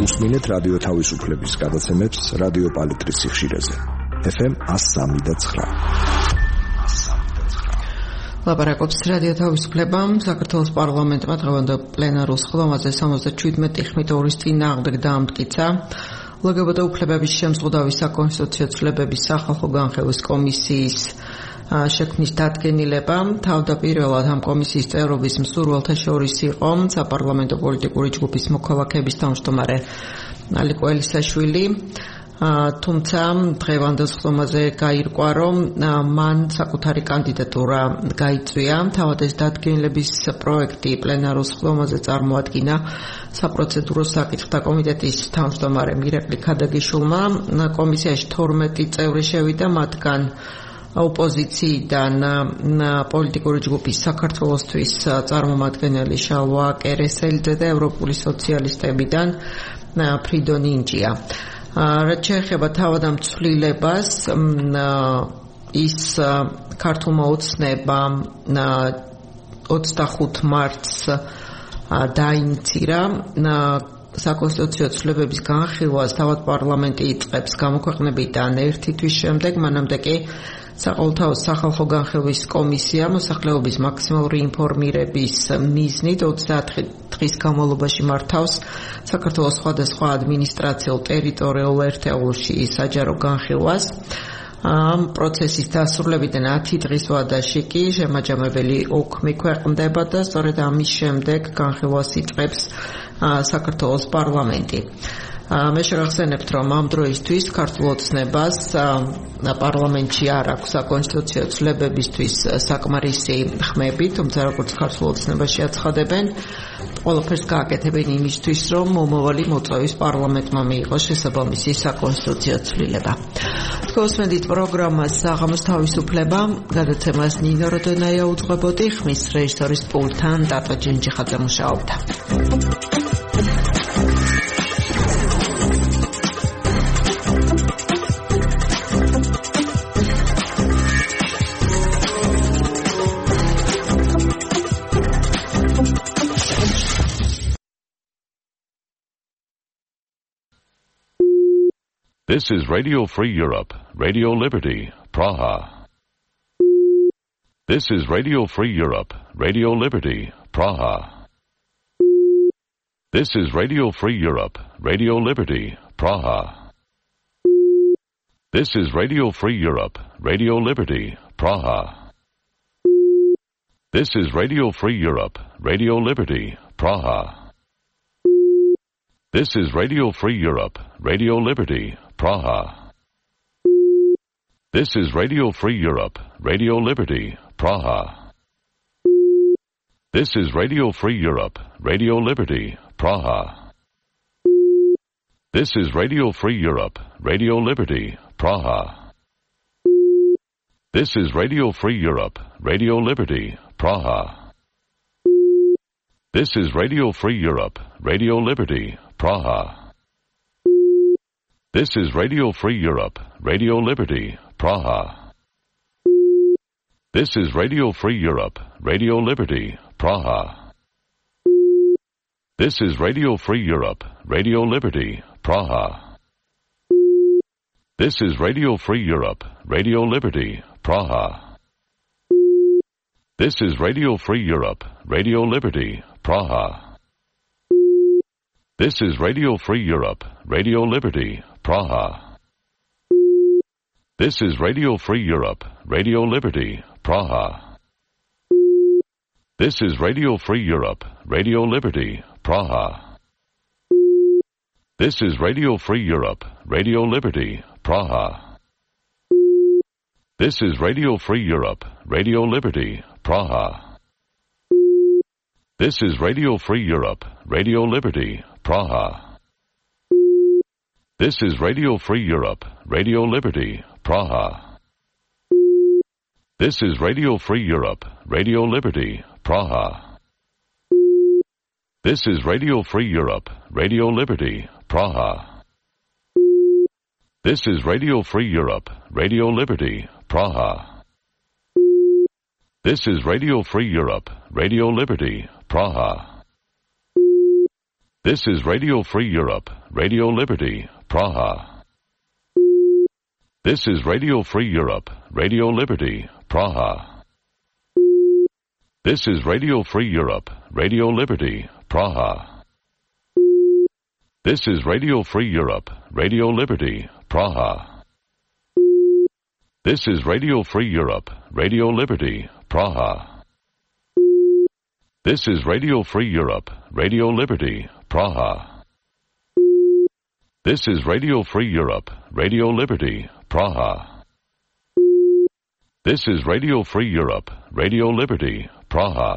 უსმინეთ რადიო თავისუფლების გადაცემებს რადიო პალიტრის სიხშირეზე. FM 103.9. ლაპარაკობს რადიო თავისუფლება. საქართველოს პარლამენტმა დღევანდელ პლენარულ სხდომაზე 77 ხმით-ორის წინააღმდეგ დაამტკიცა ლგბტ უფლებების შემზღუდავი საკონსტიტუციო ცვლილებების სახალხო განხილვის კომისიის შექმნის დადგენილება. თავდაპირველად ამ კომისიის წევრობის მსურველთა შორის იყო საპარლამენტო პოლიტიკური ჯგუფის მოქალაქეების თავმჯდომარე ალიკო ელისაშვილი. თუმცა დღევანდელ სხდომაზე გაირკვა, რომ მან საკუთარი კანდიდატურა გაიწვია. თავად ეს დადგენილების პროექტი პლენარულ სხდომაზე წარმოადგინა საპროცედურო საკითხთა კომიტეტის თავმჯდომარემ ირაკლი ქადაგიშვილმა. კომისიაში 12 წევრი შევიდა, მათგან ოპოზიციიდან პოლიტიკური ჯგუფის საქართველოსთვის წარმომადგენელი შალვა კერესელიძე და ევროპული სოციალისტებიდან ფრიდო ნინჯია. რაც შეეხება თავად ამ ცვლილებას, ის ქართულმა ოცნებამ 25 მარტს დაინიცირა. საკონსტიტუციო ცვლილებების განხილვას თავად პარლამენტი იწყებს გამოქვეყნებიდან 1 თვის შემდეგ, მანამდე კი საყოველთაო სახალხო განხილვის კომისია მოსახლეობის მაქსიმალური ინფორმირების მიზნით 30 დღის განმავლობაში მართავს საქართველოს სხვადასხვა ადმინისტრაციულ ტერიტორიულ ერთეულში საჯარო განხილვას. ამ პროცესის დასრულებიდან 10 დღის ვადაში კი შემაჯამებელი ოქმი ქვეყნდება და სწორედ ამის შემდეგ განხილვას იწყებს საქართველოს პარლამენტი. მე შეგახსენებთ, რომ ამ დროისთვის ქართულ ოცნებას პარლამენტში არ აქვს საკონსტიტუციო ცვლილებებისთვის საკმარისი ხმები, თუმცა როგორც ქართულ ოცნებაში აცხადებენ, ყველაფერს გააკეთებენ იმისთვის, რომ მომავალი მოწვევის პარლამენტმა მიიღოს შესაბამისი საკონსტიტუციო ცვლილება. თქვენს პროგრამას საღამოს თავისუფლება, გადაცემას ნინო როდონაია უძღვებოდი, ხმის რეჟისორის პულტთან დატო ჯინჯიხაძე მუშაობდა. This is Radio Free Europe, Radio Liberty, Praha. This is Radio Free Europe, Radio Liberty, Praha. This is Radio Free Europe, Radio Liberty, Praha. This is Radio Free Europe, Radio Liberty, Praha. This is Radio Free Europe, Radio Liberty, Praha. This is Radio Free Europe, Radio Liberty, Praha. This is Radio Free Europe, Radio Liberty, Praha. This is Radio Free Europe, Radio Liberty, Praha. This is Radio Free Europe, Radio Liberty, Praha. This is Radio Free Europe, Radio Liberty, Praha. This is Radio Free Europe, Radio Liberty, Praha. This is Radio Free Europe, Radio Liberty, Praha. This is Radio Free Europe, Radio Liberty, Praha. This is Radio Free Europe, Radio Liberty, Praha. This is Radio Free Europe, Radio Liberty, Praha. This is Radio Free Europe, Radio Liberty, Praha. This is Radio Free Europe, Radio Liberty, Praha. This is Radio Free Europe, Radio Liberty, Praha. This is Radio Free Europe, Radio Liberty, Praha. This is Radio Free Europe, Radio Liberty, Praha. This is Radio Free Europe, Radio Liberty, Praha. This is Radio Free Europe, Radio Liberty, Praha. This is Radio Free Europe, Radio Liberty, Praha. This is Radio Free Europe, Radio Liberty, Praha. This is Radio Free Europe, Radio Liberty, Praha. This is Radio Free Europe, Radio Liberty, Praha. This is Radio Free Europe, Radio Liberty, Praha. This is Radio Free Europe, Radio Liberty, Praha. This is Radio Free Europe, Radio Liberty, Praha. This is Radio Free Europe, Radio Liberty, Praha. This is Radio Free Europe, Radio Liberty, Praha. This is Radio Free Europe, Radio Liberty, Praha. This is Radio Free Europe, Radio Liberty, Praha. This is Radio Free Europe, Radio Liberty, Praha. This is Radio Free Europe, Radio Liberty, Praha.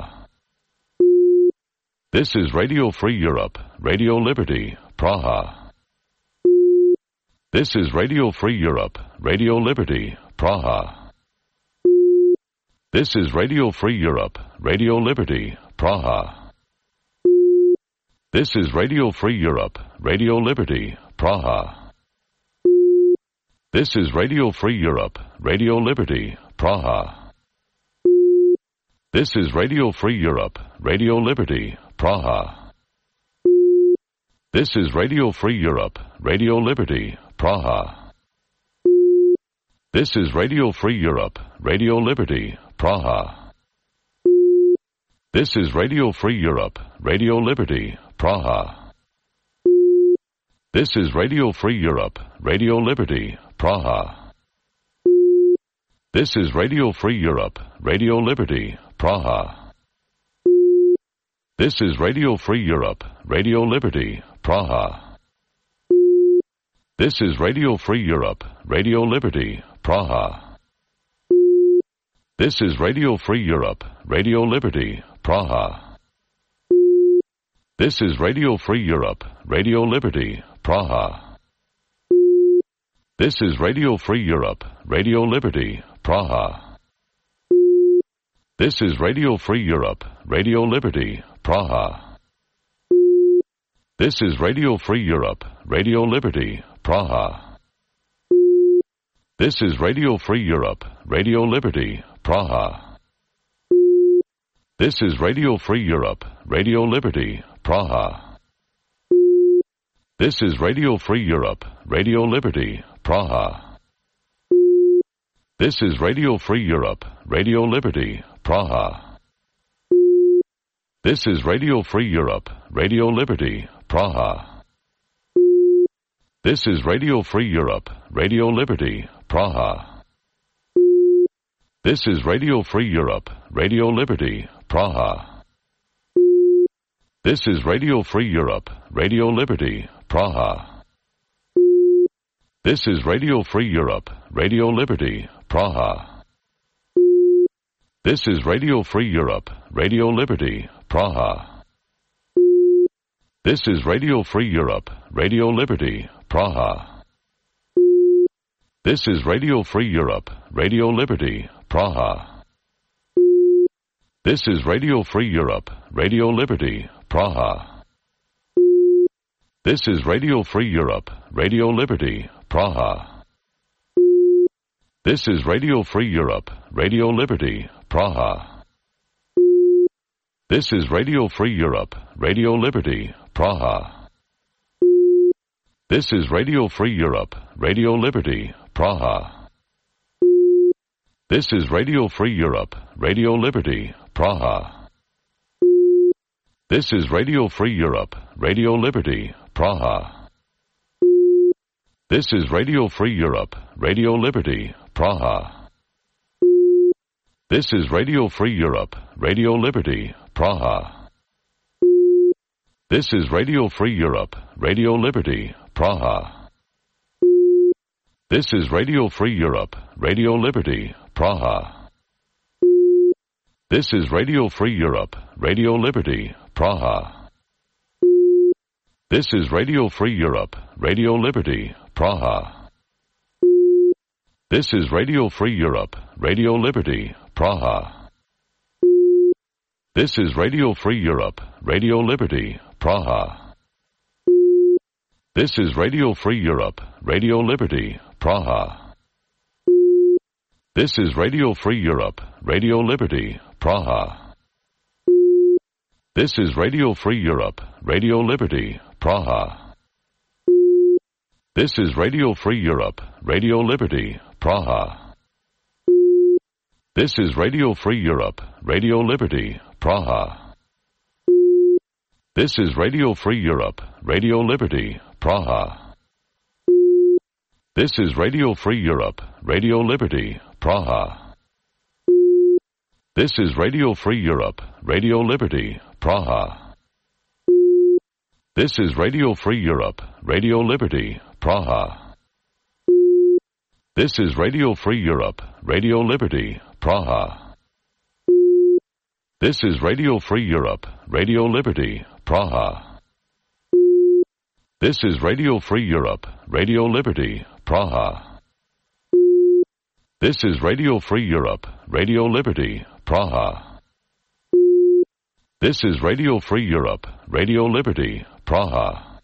This is Radio Free Europe, Radio Liberty, Praha. This is Radio Free Europe, Radio Liberty, Praha. This is Radio Free Europe, Radio Liberty, Praha. This is Radio Free Europe, Radio Liberty, Praha. This is Radio Free Europe, Radio Liberty, Praha. This is Radio Free Europe, Radio Liberty, Praha. This is Radio Free Europe, Radio Liberty, Praha. This is Radio Free Europe, Radio Liberty, Praha. This is Radio Free Europe, Radio Liberty, Praha. This is Radio Free Europe, Radio Liberty, Praha. This is Radio Free Europe, Radio Liberty, Praha. This is Radio Free Europe, Radio Liberty, Praha. This is Radio Free Europe, Radio Liberty, Praha. This is Radio Free Europe, Radio Liberty, Praha. This is Radio Free Europe, Radio Liberty, Praha. This is Radio Free Europe, Radio Liberty, Praha. This is Radio Free Europe, Radio Liberty, Praha. This is Radio Free Europe, Radio Liberty, Praha. This is Radio Free Europe, Radio Liberty, Praha. This is Radio Free Europe, Radio Liberty, Praha. This is Radio Free Europe, Radio Liberty, Praha. This is Radio Free Europe, Radio Liberty, Praha. This is Radio Free Europe, Radio Liberty, Praha. This is Radio Free Europe, Radio Liberty, Praha. This is Radio Free Europe, Radio Liberty, Praha. This is Radio Free Europe, Radio Liberty, Praha. This is Radio Free Europe, Radio Liberty, Praha. This is Radio Free Europe, Radio Liberty, Praha. This is Radio Free Europe, Radio Liberty, Praha. This is Radio Free Europe, Radio Liberty, Praha. This is Radio Free Europe, Radio Liberty, Praha. This is Radio Free Europe, Radio Liberty, Praha. This is Radio Free Europe, Radio Liberty, Praha. This is Radio Free Europe, Radio Liberty, Praha. This is Radio Free Europe, Radio Liberty, Praha. This is Radio Free Europe, Radio Liberty, Praha. This is Radio Free Europe, Radio Liberty, Praha. This is Radio Free Europe, Radio Liberty, Praha. This is Radio Free Europe, Radio Liberty, Praha. This is Radio Free Europe, Radio Liberty, Praha. This is Radio Free Europe, Radio Liberty, Praha. This is Radio Free Europe, Radio Liberty, Praha. This is Radio Free Europe, Radio Liberty, Praha. This is Radio Free Europe, Radio Liberty, Praha. This is Radio Free Europe, Radio Liberty, Praha. This is Radio Free Europe, Radio Liberty, Praha. This is Radio Free Europe, Radio Liberty, Praha. This is Radio Free Europe, Radio Liberty, Praha. This is Radio Free Europe, Radio Liberty, Praha. This is Radio Free Europe, Radio Liberty, Praha. This is Radio Free Europe, Radio Liberty, Praha. This is Radio Free Europe, Radio Liberty, Praha. This is Radio Free Europe, Radio Liberty, Praha. This is Radio Free Europe, Radio Liberty, Praha. This is Radio Free Europe, Radio Liberty, Praha. This is Radio Free Europe, Radio Liberty, Praha. This is Radio Free Europe, Radio Liberty, Praha. This is Radio Free Europe, Radio Liberty, Praha. This is Radio Free Europe, Radio Liberty, Praha.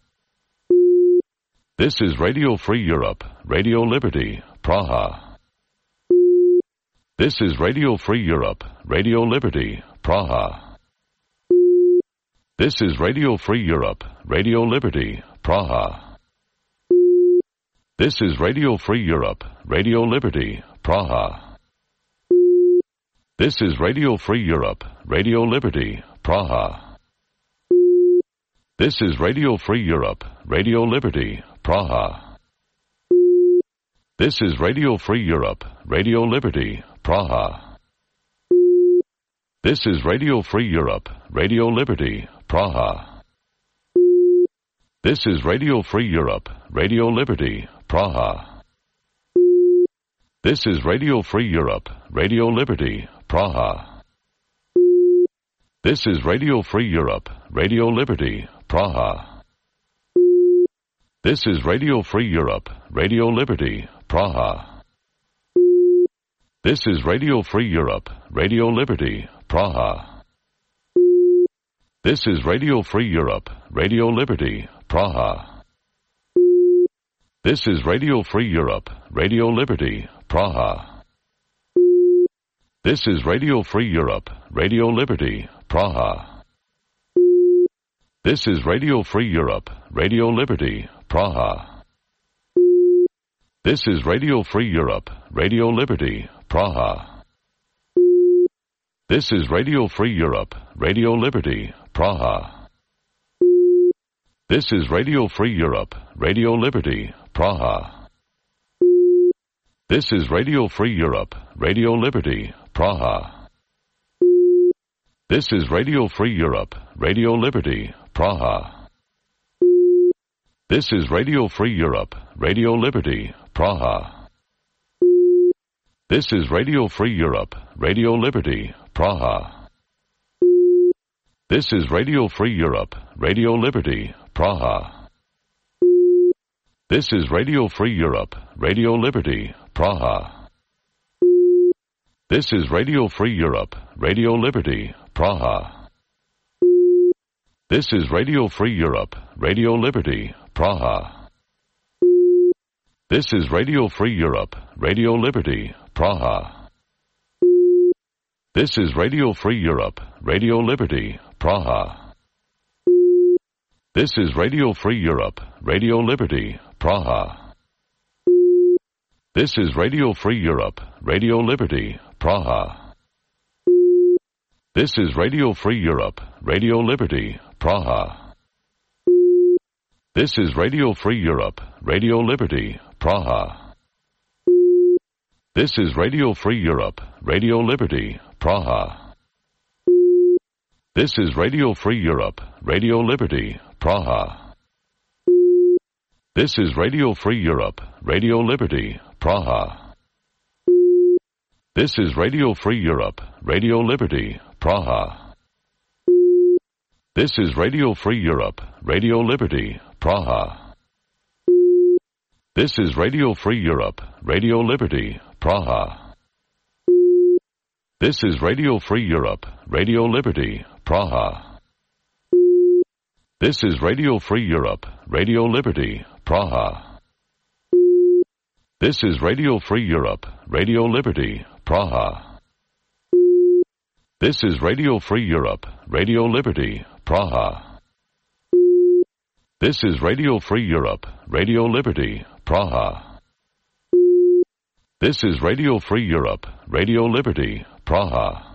This is Radio Free Europe, Radio Liberty, Praha. This is Radio Free Europe, Radio Liberty, Praha. This is Radio Free Europe, Radio Liberty, Praha. This is Radio Free Europe, Radio Liberty, Praha. This is Radio Free Europe, Radio Liberty, Praha. This is Radio Free Europe, Radio Liberty, Praha. This is Radio Free Europe, Radio Liberty, Praha. This is Radio Free Europe, Radio Liberty, Praha. This is Radio Free Europe, Radio Liberty, Praha. This is Radio Free Europe, Radio Liberty, Praha. This is Radio Free Europe, Radio Liberty, Praha. This is Radio Free Europe, Radio Liberty, Praha. This is Radio Free Europe, Radio Liberty, Praha. This is Radio Free Europe, Radio Liberty, Praha. This is Radio Free Europe, Radio Liberty, Praha. This is Radio Free Europe, Radio Liberty, Praha. This is Radio Free Europe, Radio Liberty, Praha. This is Radio Free Europe, Radio Liberty, Praha. This is Radio Free Europe, Radio Liberty, Praha. This is Radio Free Europe, Radio Liberty, Praha. This is Radio Free Europe, Radio Liberty, Praha. This is Radio Free Europe, Radio Liberty, Praha. This is Radio Free Europe, Radio Liberty, Praha. This is Radio Free Europe, Radio Liberty, Praha. This is Radio Free Europe, Radio Liberty, Praha. This is Radio Free Europe, Radio Liberty, Praha. This is Radio Free Europe, Radio Liberty, Praha. This is Radio Free Europe, Radio Liberty, Praha. This is Radio Free Europe, Radio Liberty, Praha. This is Radio Free Europe, Radio Liberty, Praha. This is Radio Free Europe, Radio Liberty, Praha. This is Radio Free Europe, Radio Liberty, Praha. This is Radio Free Europe, Radio Liberty, Praha. This is Radio Free Europe, Radio Liberty, Praha. This is Radio Free Europe, Radio Liberty, Praha. This is Radio Free Europe, Radio Liberty, Praha. This is Radio Free Europe, Radio Liberty, Praha. This is Radio Free Europe, Radio Liberty, Praha. This is Radio Free Europe, Radio Liberty, Praha. This is Radio Free Europe, Radio Liberty, Praha. This is Radio Free Europe, Radio Liberty, Praha. This is Radio Free Europe, Radio Liberty, Praha. This is Radio Free Europe, Radio Liberty, Praha. This is Radio Free Europe, Radio Liberty, Praha. This is Radio Free Europe, Radio Liberty, Praha. This is Radio Free Europe, Radio Liberty, Praha.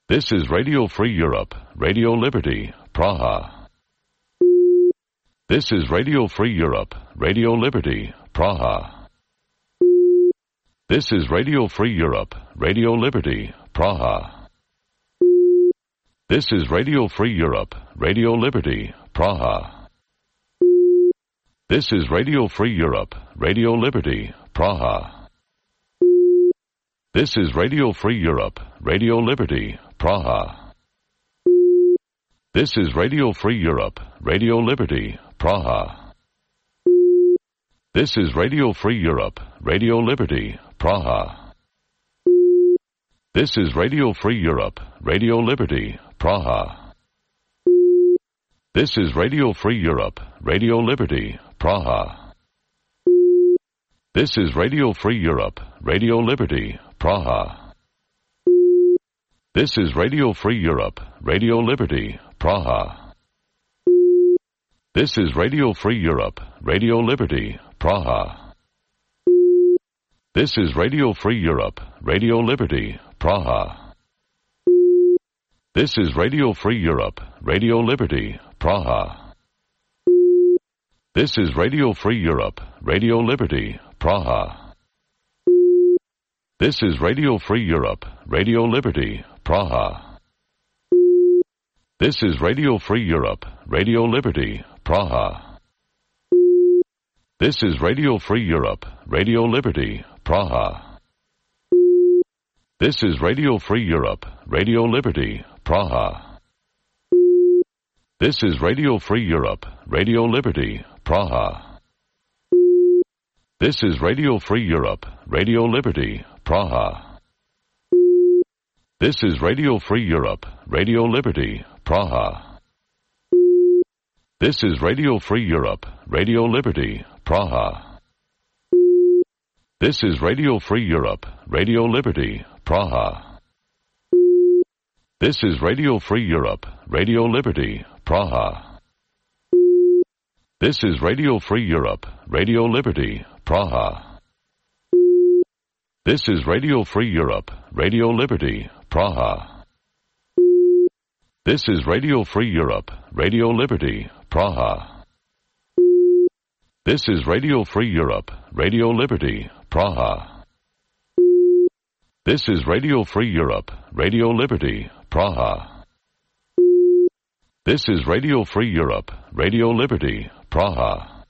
This is Radio Free Europe, Radio Liberty, Praha. This is Radio Free Europe, Radio Liberty, Praha. This is Radio Free Europe, Radio Liberty, Praha. This is Radio Free Europe, Radio Liberty, Praha. This is Radio Free Europe, Radio Liberty, Praha. This is Radio Free Europe, Radio Liberty, Praha. This is Radio Free Europe, Radio Liberty, Praha. This is Radio Free Europe, Radio Liberty, Praha. This is Radio Free Europe, Radio Liberty, Praha. This is Radio Free Europe, Radio Liberty, Praha. This is Radio Free Europe, Radio Liberty, Praha. This is Radio Free Europe, Radio Liberty, Praha. This is Radio Free Europe, Radio Liberty, Praha. This is Radio Free Europe, Radio Liberty, Praha. This is Radio Free Europe, Radio Liberty, Praha. This is Radio Free Europe, Radio Liberty, Praha. This is Radio Free Europe, Radio Liberty, Praha. This is Radio Free Europe, Radio Liberty, Praha. This is Radio Free Europe, Radio Liberty, Praha. This is Radio Free Europe, Radio Liberty, Praha. This is Radio Free Europe, Radio Liberty, Praha. This is Radio Free Europe, Radio Liberty, Praha. This is Radio Free Europe, Radio Liberty, Praha. This is Radio Free Europe, Radio Liberty, Praha. This is Radio Free Europe, Radio Liberty, Praha. This is Radio Free Europe, Radio Liberty, Praha. This is Radio Free Europe, Radio Liberty, Praha. This is Radio Free Europe, Radio Liberty, Praha. This is Radio Free Europe, Radio Liberty, Praha. This is Radio Free Europe, Radio Liberty, Praha. This is Radio Free Europe, Radio Liberty, Praha. This is Radio Free Europe, Radio Liberty, Praha.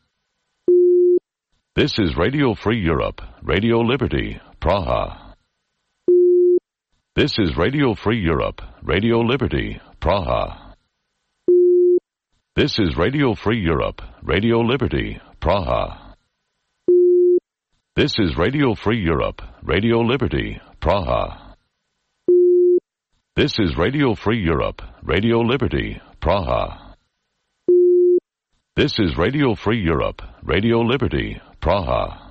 This is Radio Free Europe, Radio Liberty, Praha. This is Radio Free Europe, Radio Liberty, Praha. This is Radio Free Europe, Radio Liberty, Praha. This is Radio Free Europe, Radio Liberty, Praha. This is Radio Free Europe, Radio Liberty, Praha. This is Radio Free Europe, Radio Liberty, Praha.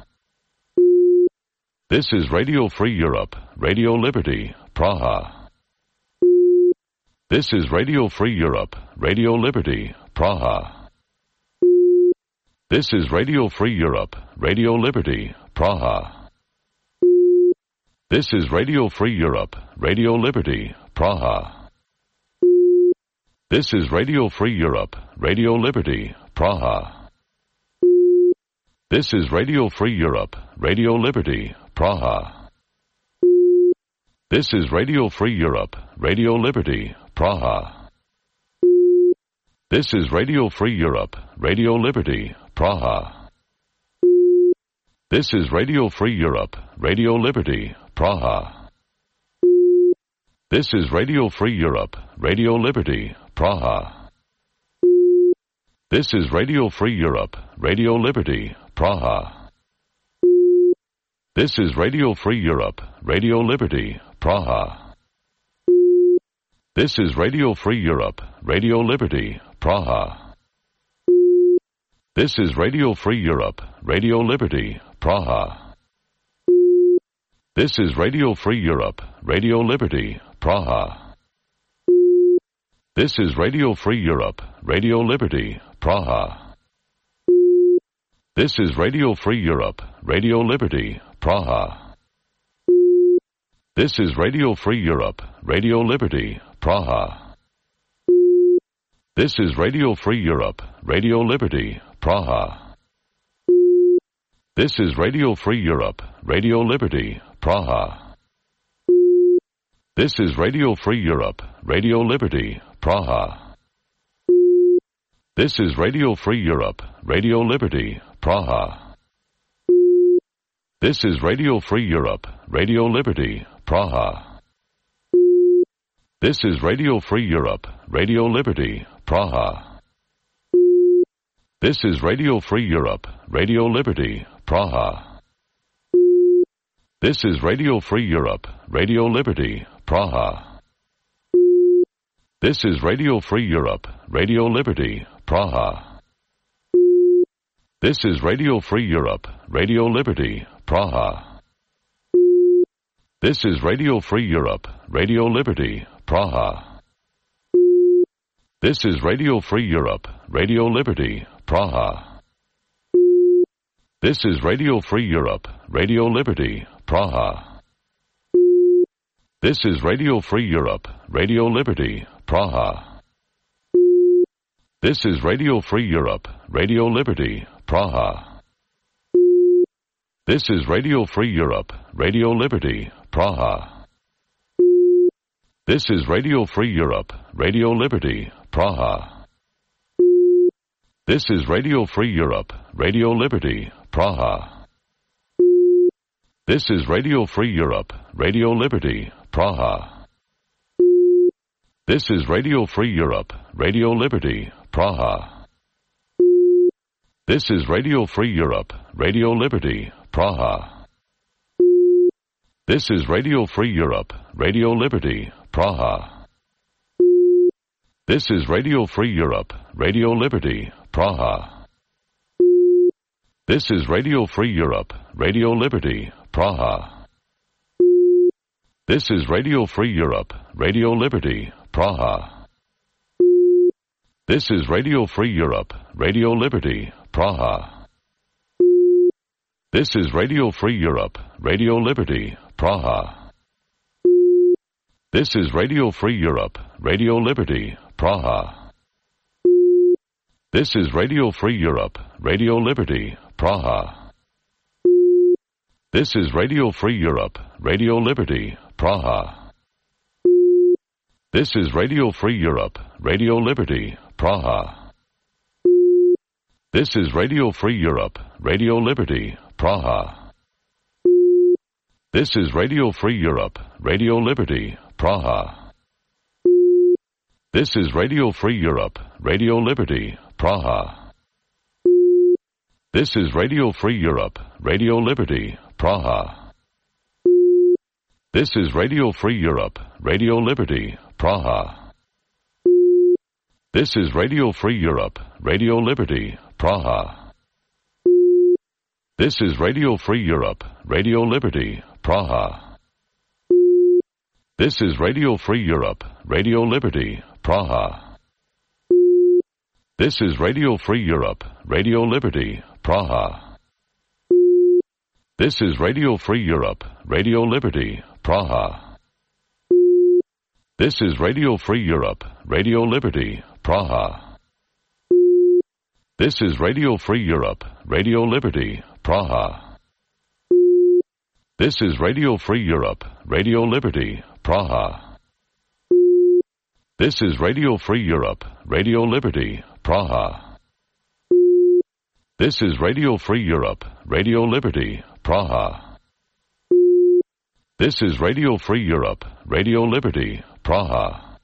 This is Radio Free Europe, Radio Liberty, Praha. This is Radio Free Europe, Radio Liberty, Praha. This is Radio Free Europe, Radio Liberty, Praha. This is Radio Free Europe, Radio Liberty, Praha. This is Radio Free Europe, Radio Liberty, Praha. This is Radio Free Europe, Radio Liberty, Praha. This is Radio Free Europe, Radio Liberty, Praha. This is Radio Free Europe, Radio Liberty, Praha. This is Radio Free Europe, Radio Liberty, Praha. This is Radio Free Europe, Radio Liberty, Praha. This is Radio Free Europe, Radio Liberty, Praha. This is Radio Free Europe, Radio Liberty, Praha. This is Radio Free Europe, Radio Liberty, Praha. This is Radio Free Europe, Radio Liberty, Praha. This is Radio Free Europe, Radio Liberty, Praha. This is Radio Free Europe, Radio Liberty, Praha. This is Radio Free Europe, Radio Liberty, Praha. This is Radio Free Europe, Radio Liberty, Praha. This is Radio Free Europe, Radio Liberty, Praha. This is Radio Free Europe, Radio Liberty, Praha. This is Radio Free Europe, Radio Liberty, Praha. This is Radio Free Europe, Radio Liberty, Praha. This is Radio Free Europe, Radio Liberty, Praha. This is Radio Free Europe, Radio Liberty, Praha. This is Radio Free Europe, Radio Liberty, Praha. This is Radio Free Europe, Radio Liberty, Praha. This is Radio Free Europe, Radio Liberty, Praha. This is Radio Free Europe, Radio Liberty, Praha. This is Radio Free Europe, Radio Liberty, Praha. This is Radio Free Europe, Radio Liberty, Praha. This is Radio Free Europe, Radio Liberty, Praha. This is Radio Free Europe, Radio Liberty, Praha. This is Radio Free Europe, Radio Liberty, Praha. This is Radio Free Europe, Radio Liberty, Praha. This is Radio Free Europe, Radio Liberty, Praha. This is Radio Free Europe, Radio Liberty, Praha. This is Radio Free Europe, Radio Liberty, Praha. This is Radio Free Europe, Radio Liberty, Praha. This is Radio Free Europe, Radio Liberty, Praha. This is Radio Free Europe, Radio Liberty, Praha. This is Radio Free Europe, Radio Liberty, Praha. This is Radio Free Europe, Radio Liberty, Praha. This is Radio Free Europe, Radio Liberty, Praha. This is Radio Free Europe, Radio Liberty, Praha. This is Radio Free Europe, Radio Liberty, Praha. This is Radio Free Europe, Radio Liberty, Praha. This is Radio Free Europe, Radio Liberty, Praha. This is Radio Free Europe, Radio Liberty, Praha. This is Radio Free Europe, Radio Liberty, Praha. This is Radio Free Europe, Radio Liberty, Praha. This is Radio Free Europe, Radio Liberty, Praha. This is Radio Free Europe, Radio Liberty, Praha. This is Radio Free Europe, Radio Liberty, Praha. This is Radio Free Europe, Radio Liberty, Praha. This is Radio Free Europe, Radio Liberty, Praha. This is Radio Free Europe, Radio Liberty, Praha. This is Radio Free Europe, Radio Liberty, Praha. This is Radio Free Europe, Radio Liberty, Praha. This is Radio Free Europe, Radio Liberty, Praha. This is Radio Free Europe, Radio Liberty, Praha. This is Radio Free Europe, Radio Liberty, Praha. This is Radio Free Europe, Radio Liberty, Praha. This is Radio Free Europe, Radio Liberty, Praha. This is Radio Free Europe, Radio Liberty, Praha. This is Radio Free Europe, Radio Liberty, Praha.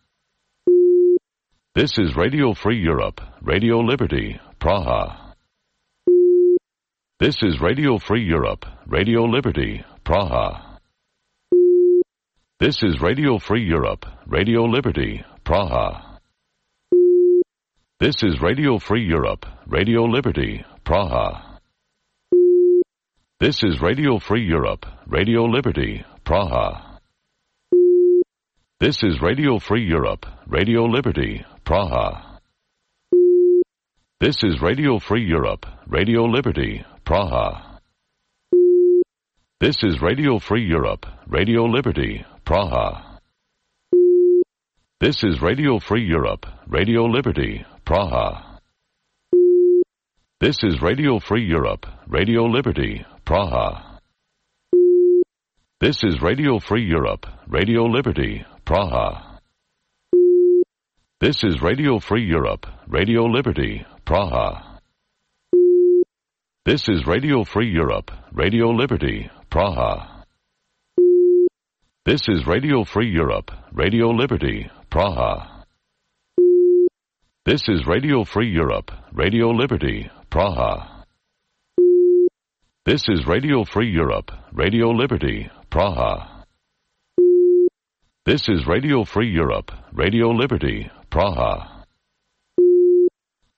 This is Radio Free Europe, Radio Liberty, Praha. This is Radio Free Europe, Radio Liberty, Praha. This is Radio Free Europe, Radio Liberty, Praha. This is Radio Free Europe, Radio Liberty, Praha. This is Radio Free Europe, Radio Liberty, Praha. This is Radio Free Europe, Radio Liberty, Praha. This is Radio Free Europe, Radio Liberty, Praha. This is Radio Free Europe, Radio Liberty, Praha. This is Radio Free Europe, Radio Liberty, Praha. This is Radio Free Europe, Radio Liberty, Praha. This is Radio Free Europe, Radio Liberty, Praha. This is Radio Free Europe, Radio Liberty, Praha. This is Radio Free Europe, Radio Liberty, Praha. This is Radio Free Europe, Radio Liberty, Praha. This is Radio Free Europe, Radio Liberty, Praha. This is Radio Free Europe, Radio Liberty, Praha. This is Radio Free Europe, Radio Liberty, Praha.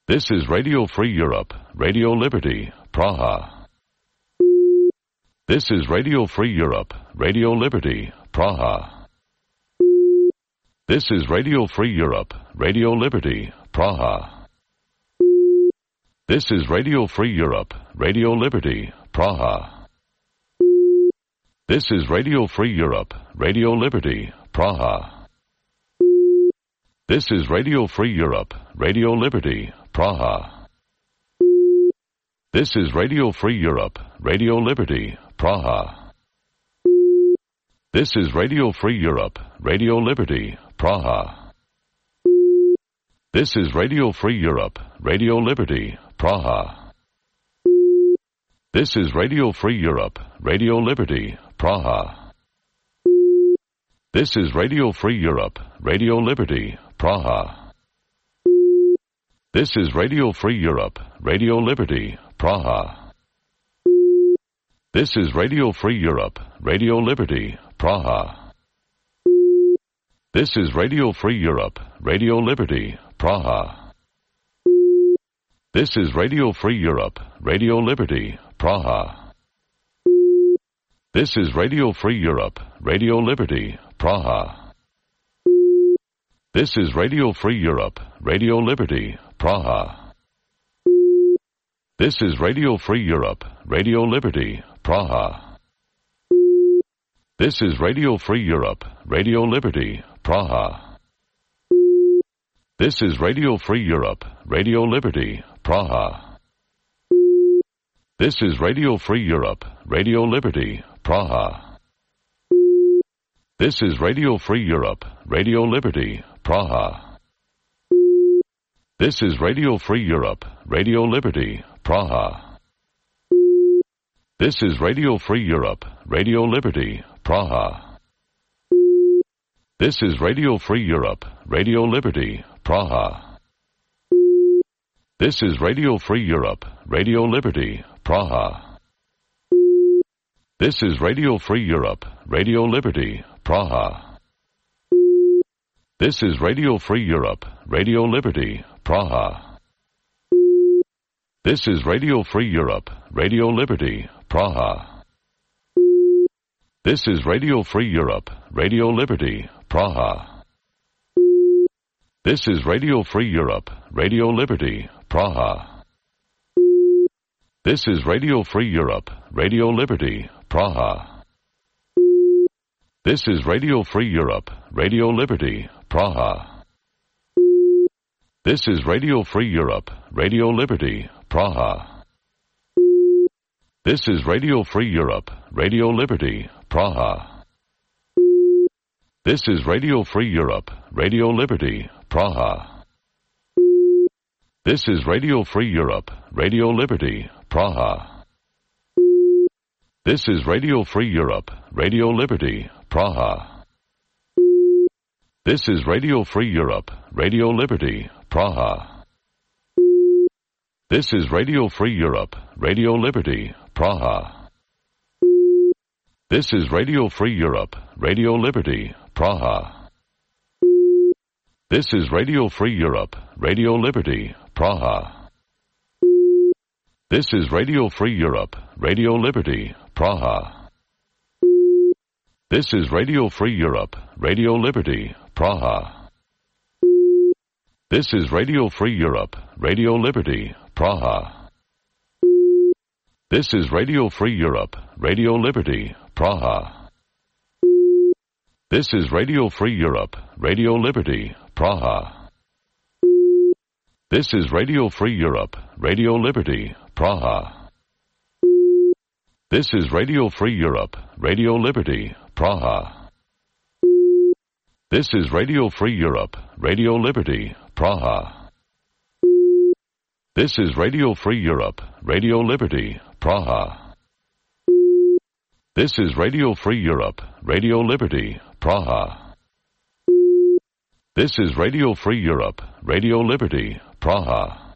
This is Radio Free Europe, Radio Liberty, Praha. This is Radio Free Europe, Radio Liberty, Praha. This is Radio Free Europe, Radio Liberty, Praha. This is Radio Free Europe, Radio Liberty, Praha. This is Radio Free Europe, Radio Liberty, Praha. This is Radio Free Europe, Radio Liberty, Praha. This is Radio Free Europe, Radio Liberty, Praha. This is Radio Free Europe, Radio Liberty, Praha. This is Radio Free Europe, Radio Liberty, Praha. This is Radio Free Europe, Radio Liberty, Praha. This is Radio Free Europe, Radio Liberty, Praha. This is Radio Free Europe, Radio Liberty, Praha. This is Radio Free Europe, Radio Liberty, Praha. This is Radio Free Europe, Radio Liberty, Praha. This is Radio Free Europe, Radio Liberty, Praha. This is Radio Free Europe, Radio Liberty, Praha. This is Radio Free Europe, Radio Liberty, Praha. This is Radio Free Europe, Radio Liberty, Praha. This is Radio Free Europe, Radio Liberty, Praha. This is Radio Free Europe, Radio Liberty, Praha. This is Radio Free Europe, Radio Liberty, Praha. This is Radio Free Europe, Radio Liberty, Praha. This is Radio Free Europe, Radio Liberty, Praha. This is Radio Free Europe, Radio Liberty, Praha. This is Radio Free Europe, Radio Liberty, Praha. This is Radio Free Europe, Radio Liberty, Praha. This is Radio Free Europe, Radio Liberty, Praha. This is Radio Free Europe, Radio Liberty, Praha. This is Radio Free Europe, Radio Liberty, Praha. This is Radio Free Europe, Radio Liberty, Praha. This is Radio Free Europe, Radio Liberty, Praha. This is Radio Free Europe, Radio Liberty, Praha. This is Radio Free Europe, Radio Liberty, Praha. This is Radio Free Europe, Radio Liberty, Praha. This is Radio Free Europe, Radio Liberty, Praha. This is Radio Free Europe, Radio Liberty, Praha. This is Radio Free Europe, Radio Liberty, Praha. This is Radio Free Europe, Radio Liberty, Praha. This is Radio Free Europe, Radio Liberty, Praha. This is Radio Free Europe, Radio Liberty, Praha. This is Radio Free Europe, Radio Liberty, Praha. This is Radio Free Europe, Radio Liberty, Praha. This is Radio Free Europe, Radio Liberty, Praha. This is Radio Free Europe, Radio Liberty, Praha. This is Radio Free Europe, Radio Liberty, Praha. This is Radio Free Europe, Radio Liberty, Praha. This is Radio Free Europe, Radio Liberty, Praha. This is Radio Free Europe, Radio Liberty, Praha. This is Radio Free Europe, Radio Liberty, Praha. This is Radio Free Europe, Radio Liberty, Praha. This is Radio Free Europe, Radio Liberty, Praha. This is Radio Free Europe, Radio Liberty, Praha. This is Radio Free Europe, Radio Liberty, Praha.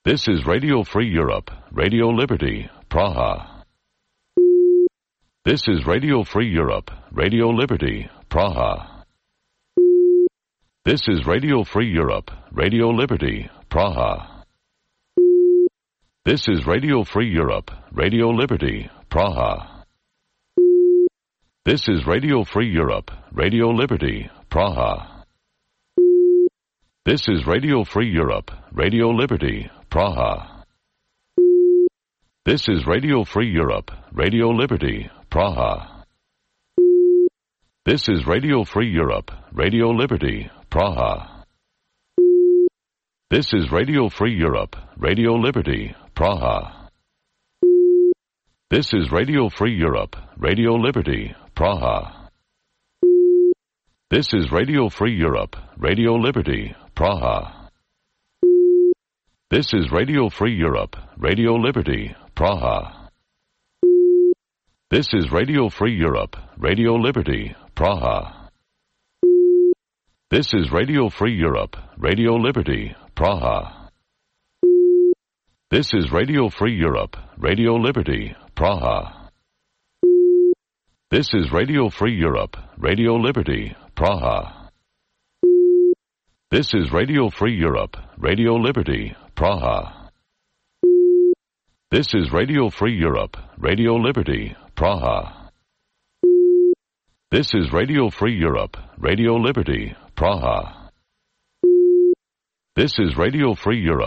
This is Radio Free Europe, Radio Liberty, Praha. This is Radio Free Europe, Radio Liberty, Praha. This is Radio Free Europe, Radio Liberty, Praha. This is Radio Free Europe, Radio Liberty, Praha. This is Radio Free Europe, Radio Liberty, Praha. This is Radio Free Europe, Radio Liberty, Praha. This is Radio Free Europe, Radio Liberty, Praha. This is Radio Free Europe, Radio Liberty, Praha. This is Radio Free Europe, Radio Liberty, Praha. This is Radio Free Europe, Radio Liberty, Praha. This is Radio Free Europe, Radio Liberty, Praha. This is Radio Free Europe, Radio Liberty, Praha. This is Radio Free Europe, Radio Liberty, Praha. This is Radio Free Europe, Radio Liberty, Praha. This is Radio Free Europe, Radio Liberty, Praha. This is Radio Free Europe, Radio Liberty, Praha. This is Radio Free Europe, Radio Liberty, Praha. This is Radio Free Europe, Radio Liberty, Praha. This is Radio Free Europe, Radio Liberty, Praha. This is Radio Free Europe.